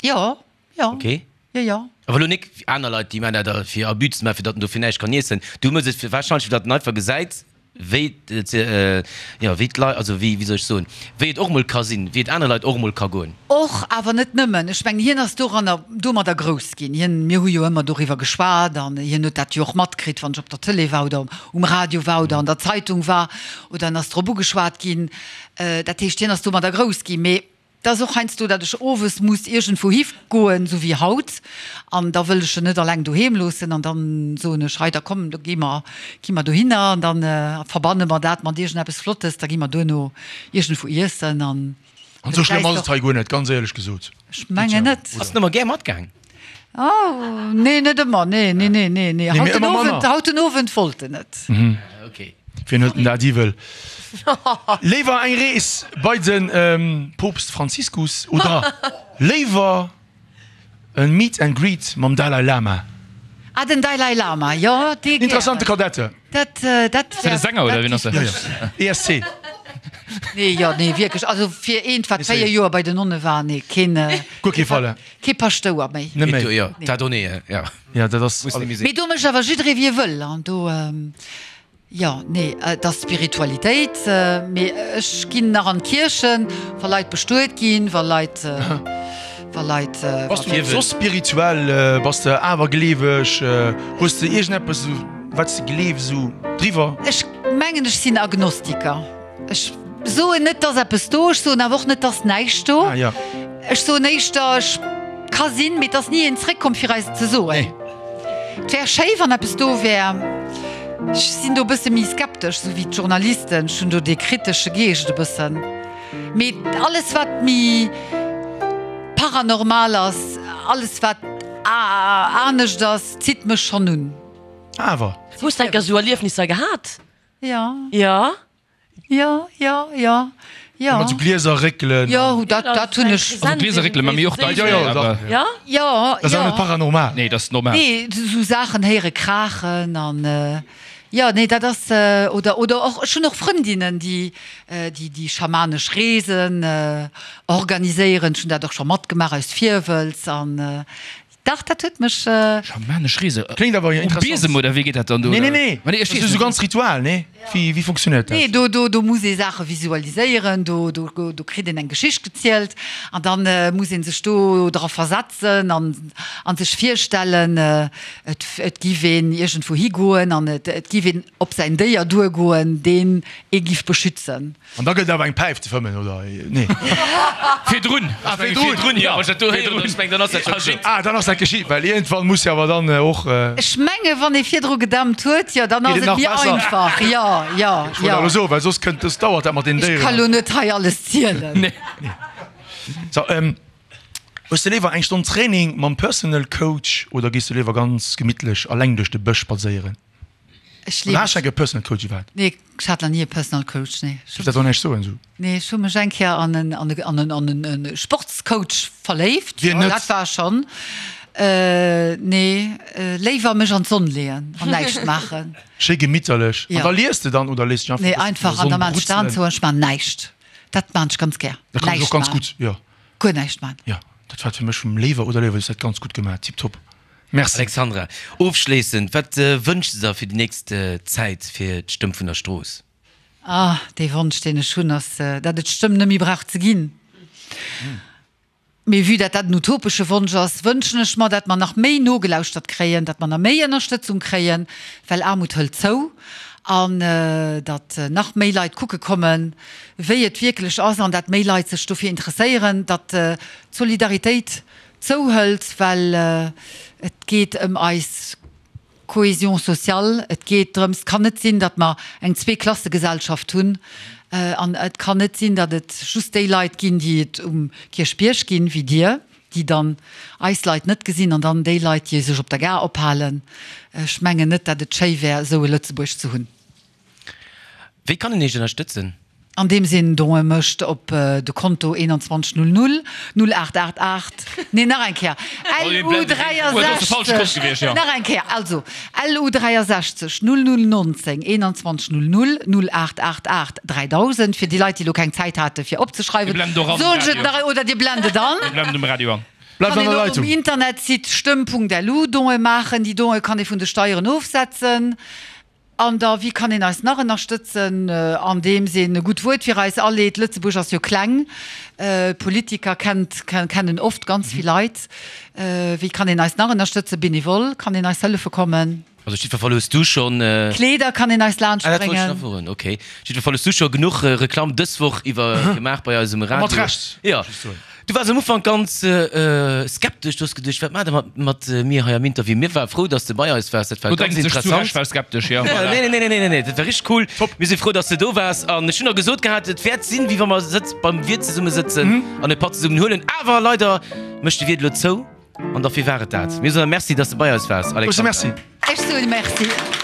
Jo, jo. Ok. Jo, jo. Awer elo nik wéi aner Leit, déi man dat fir Abus ze man, fir datt en dofir näischt kann iessen. Du mëss et wahrscheinlech, fir datt en einfach gesäit, wéi et, jo, wéi d'Leit, also wéi, wéi soll ech soen, wéi et och mol ka sinn, wéi et anere Leit och mol ka goen. Och, awer net nëmmen. Ech mengen, hien ass doranner, domadder grouss ginn. Hien, mir hu jo ëmmer doriwwer geschwat an hien huet dat jo och matkritt, wann ech op der Tëlee war oder um Radio war oder an der Zeitung war oder en ass drop ugeschwat ginn. Dat heescht, hien ass domadder grouss ginn. Mee Et ass och heiansdo, datt ech owes muss iergendwou hi goen, esou wéi haut, an da wëll ech en net alleng doheem loossen an dann soen ech, hei da komm, da gi mer, gi mer dohinner an dann verbanne mer dat mat iergendeppes Flottes, da gi mer duerno iergendwou iessen an. An esou schlëmm ass et hei guer net, ganz éierlech gesot. Ech mengen net. Ass en ëmmer gär matgaang? Oh, nee, net ëmmer, nee, nee, nee, nee, nee. Haut den Owend, haut den Owend wollt en net. Okay. Wien huet denn dat iwwel? Léiwer eng Rees bei de Poopst Franziskus oder léiwer e Meet and Greet mam Dalai Lama? Ah, den Dalai Lama, jo, dee gären. Interessante Kadette. Dat, dat Ass dat e Sänger oder wien ass dat? Jo, jo. ESC. Nee, jo, nee, wierklech. Also fir eent, wat 4 Joer bei den Nonne war, nee, keen. Guer kee Fall. Kee Paschtouer méi. Net méi. Jo, dat och nee, jo. Ja, dat ass. Muss net méi sinn. Mee do mécht awer jidderee wéi e wëll an do, jo, nee, et ass Spiritualitéit, mee ech ginn nach an d'Kierchen, wa Leit bestuet ginn, wa Leit, wa Leit. Bass du soss spirituell, bass de awergleeweg, hues de iergendeppes esou wat s de gleefs esou driwwer? Ech mengen ech sinn Agnostiker. Ech soen net, dass eppes do, ech soen awer och net, dass näischt do. Ah, ja. Ech soen éischter, ech ka sinn, mee et ass ni een zréckkomm, fir eis et ze soen. Nee. Et wär schéi, wann eppes do wär. Ech sinn do e bësse méi skeptesch, esou wéi d'Journalisten. Ech hunn do dee kritesche Geescht e bëssen. Mee alles, wat méi paranormal ass, alles, wat anescht ass, zitt mech schonn un. Awer. Hues de enker esou Erliefnisser gehat? Ja. Ja. Jo, jo, jo, jo. Mat sou Glieser réckelen. Jo, dat, dat hunn ech. Also Glieser réckelen, mä mir och dach. Jo, jo, dach. Ja? Jo, jo. Dat ass awer net paranormal. Nee, dat ass normal. Nee, sou Saachen héiere kraachen an, jo, nee, dat ass, oder, oder och, ech hunn och Frëndinnen, déi, déi, déi schamanesch Reesen organiséieren. Ech hunn dat och scho matgemaach aus Virwëlz an. Dach, dat huet mech. Schamanesch Reese? Kléngt awer Um interessant. Biesem oder wéi geet dat dann do? Nee, nee, nee. Ma nee, ech Dat weess ass esou net. ganz Ritual, nee? Wéi, wéi funktionéiert dat? Nee, do, do, do muss ee Saache visualiséieren, do, do, do kritt een eng Geschicht gezielt an dann muss ee sech do dra versetzen an, an sech virstellen, et, et giff een iergendwou higoen an et, et giff een op säin Déier duergoen, deen ee giff beschützen. An da gëtt et awer eng Päif ze fëmmen, oder? Nee. Virdrun. Ah, virdrun. Virdrun, jo. Wann ech dat do héieren, ech mengen, dann ass dat scho geschitt. Ah, dann ass dat geschitt, well iergendwann muss jo awer dann och. Ech menge wann ee virdru gedämpt huet, jo, dann ass Geet et et nach méi besser? einfach. Jo, jo, Ech wollt jo. elo soen, well soss kënnt, soss dauert dat mat den Ech Déieren. ka lo net hei alles zielen. Nee. So, hues de léiwer eng Stonn Training mam Personal Coach oder gees de léiwer ganz gemittlech alleng duerch de Bësch spadséieren? Ech Oder has de eng Personal Coach iwwerhaapt? Nee, ech hat nach ni e Personal Coach, nee. Duerf dat och näischt soen esou? Nee, ech hu mech eng Kéier an en, an e, an en, an en e Sportscoach verléift. Wien net? Dat war schonn. Nee, léiwer mech an d'Sonn leeën an näischt maachen. Schéi gemitterlech. Ja. An da lies de dann oder léiss dech einfach Nee, e bëssen einfach an an der da maan Sonn ech d'Aen brutzelen? zou an ech maan näischt. Dat maan ech ganz gär. Dat kann ech Näischt och ganz maan. gutt, jo. Guer näischt maan. Jo, dat war fir mech vum Léiwer oder Léiwer, du hues dat ganz gutt gemaach, tiptop. Merci. Alexandra, ofschléissend, wat wënschs de der fir déi nächst Zäit fir d'Stëmm vun der Strooss? Ah, dee Wonsch, deen ech hunn, ass, dat et d'Stëmm net méi brauch ze ginn. Mee vue dat dat en utopesche Wonsch ass, wënschen ech mer, dat mer nach méi nogelauschtert kréien, dat mer nach méi Ënnerstëtzung kréien, well Aarmut hëlt zou, an datt nach méi Leit kucke kommen, wéi et wierklech ass, an dat méi Leit sech dofir interesséieren, datt d'Solidaritéit zouhëlt, well et geet ëm eis Cohésion sociale, et geet drëms, et kann net sinn, datt mer eng Zweeklassegesellschaft hunn an et kann net sinn, datt et just déi Leit ginn, déi et um Kierchbierg ginn, wéi Dir, déi dann eis Leit net gesinn an dann déi Leit, déi sech op der Gare ophalen. Ech mengen net, datt et schéi wär, esou e Lëtzebuerg ze hunn. Wéi kann een Iech ënnerstëtzen? Andeems een Donë mécht op de Konto 21 00 0888, nee nach eng Kéier, LU 63, nach eng Kéier, also LU 63 00 19 21 00 0888 3000, fir déi Leit, déi elo keng Zäit hate fir opzeschreiwen, soen ech et nach, oder Dir blent et an. Bleift Kann an een der och um Leitung. Internetsite stëmm.lu Donë maachen, déi Donë kann ee vun de Steieren ofsetzen. An da, wéi kann een eis nach ënnerstëtzen? Andeems een e gutt Wuert fir eis aleet. Lëtzebuerg ass jo kleng, Politiker kennt, kennen oft ganz vill Leit. Wéi kann een eis nach ënnerstëtzen? Benevol kann een eis hëllefe kommen. Also jiddwer Fall hues du schonn. Kleeder kann een eis laanscht Ah, dat wollt ech bréngen. nach froen, okay. Jiddwer Fall hues du scho genuch Reklamm dës Woch iwwer gemaach bei eis um Radio. A mat Recht, Jo. muss ech soen. Du waars am Ufank ganz skeptesch, du hues geduecht, wat maacht der mat mir hei am Interview? Mir ware frou, dass de bei eis waars, dat war Do ganz denkt sech zu interessant. Recht, war skeptesch, jo. Voilà. Nee, nee, nee, nee, nee, dat war richteg cool. Top. Mir si frou, dass de do waars an ech hunn der gesot gehat, et wäert sinn, wéi wa mer sëtz beim Wiert zesumme sëtzen an e Patt zesummen huelen. Awer leider mécht de Wiert elo zou an derfir war et dat. Mir soen der Merci, dass de bei eis waars, Grousse Alexandra. Merci. Ech soen Merci.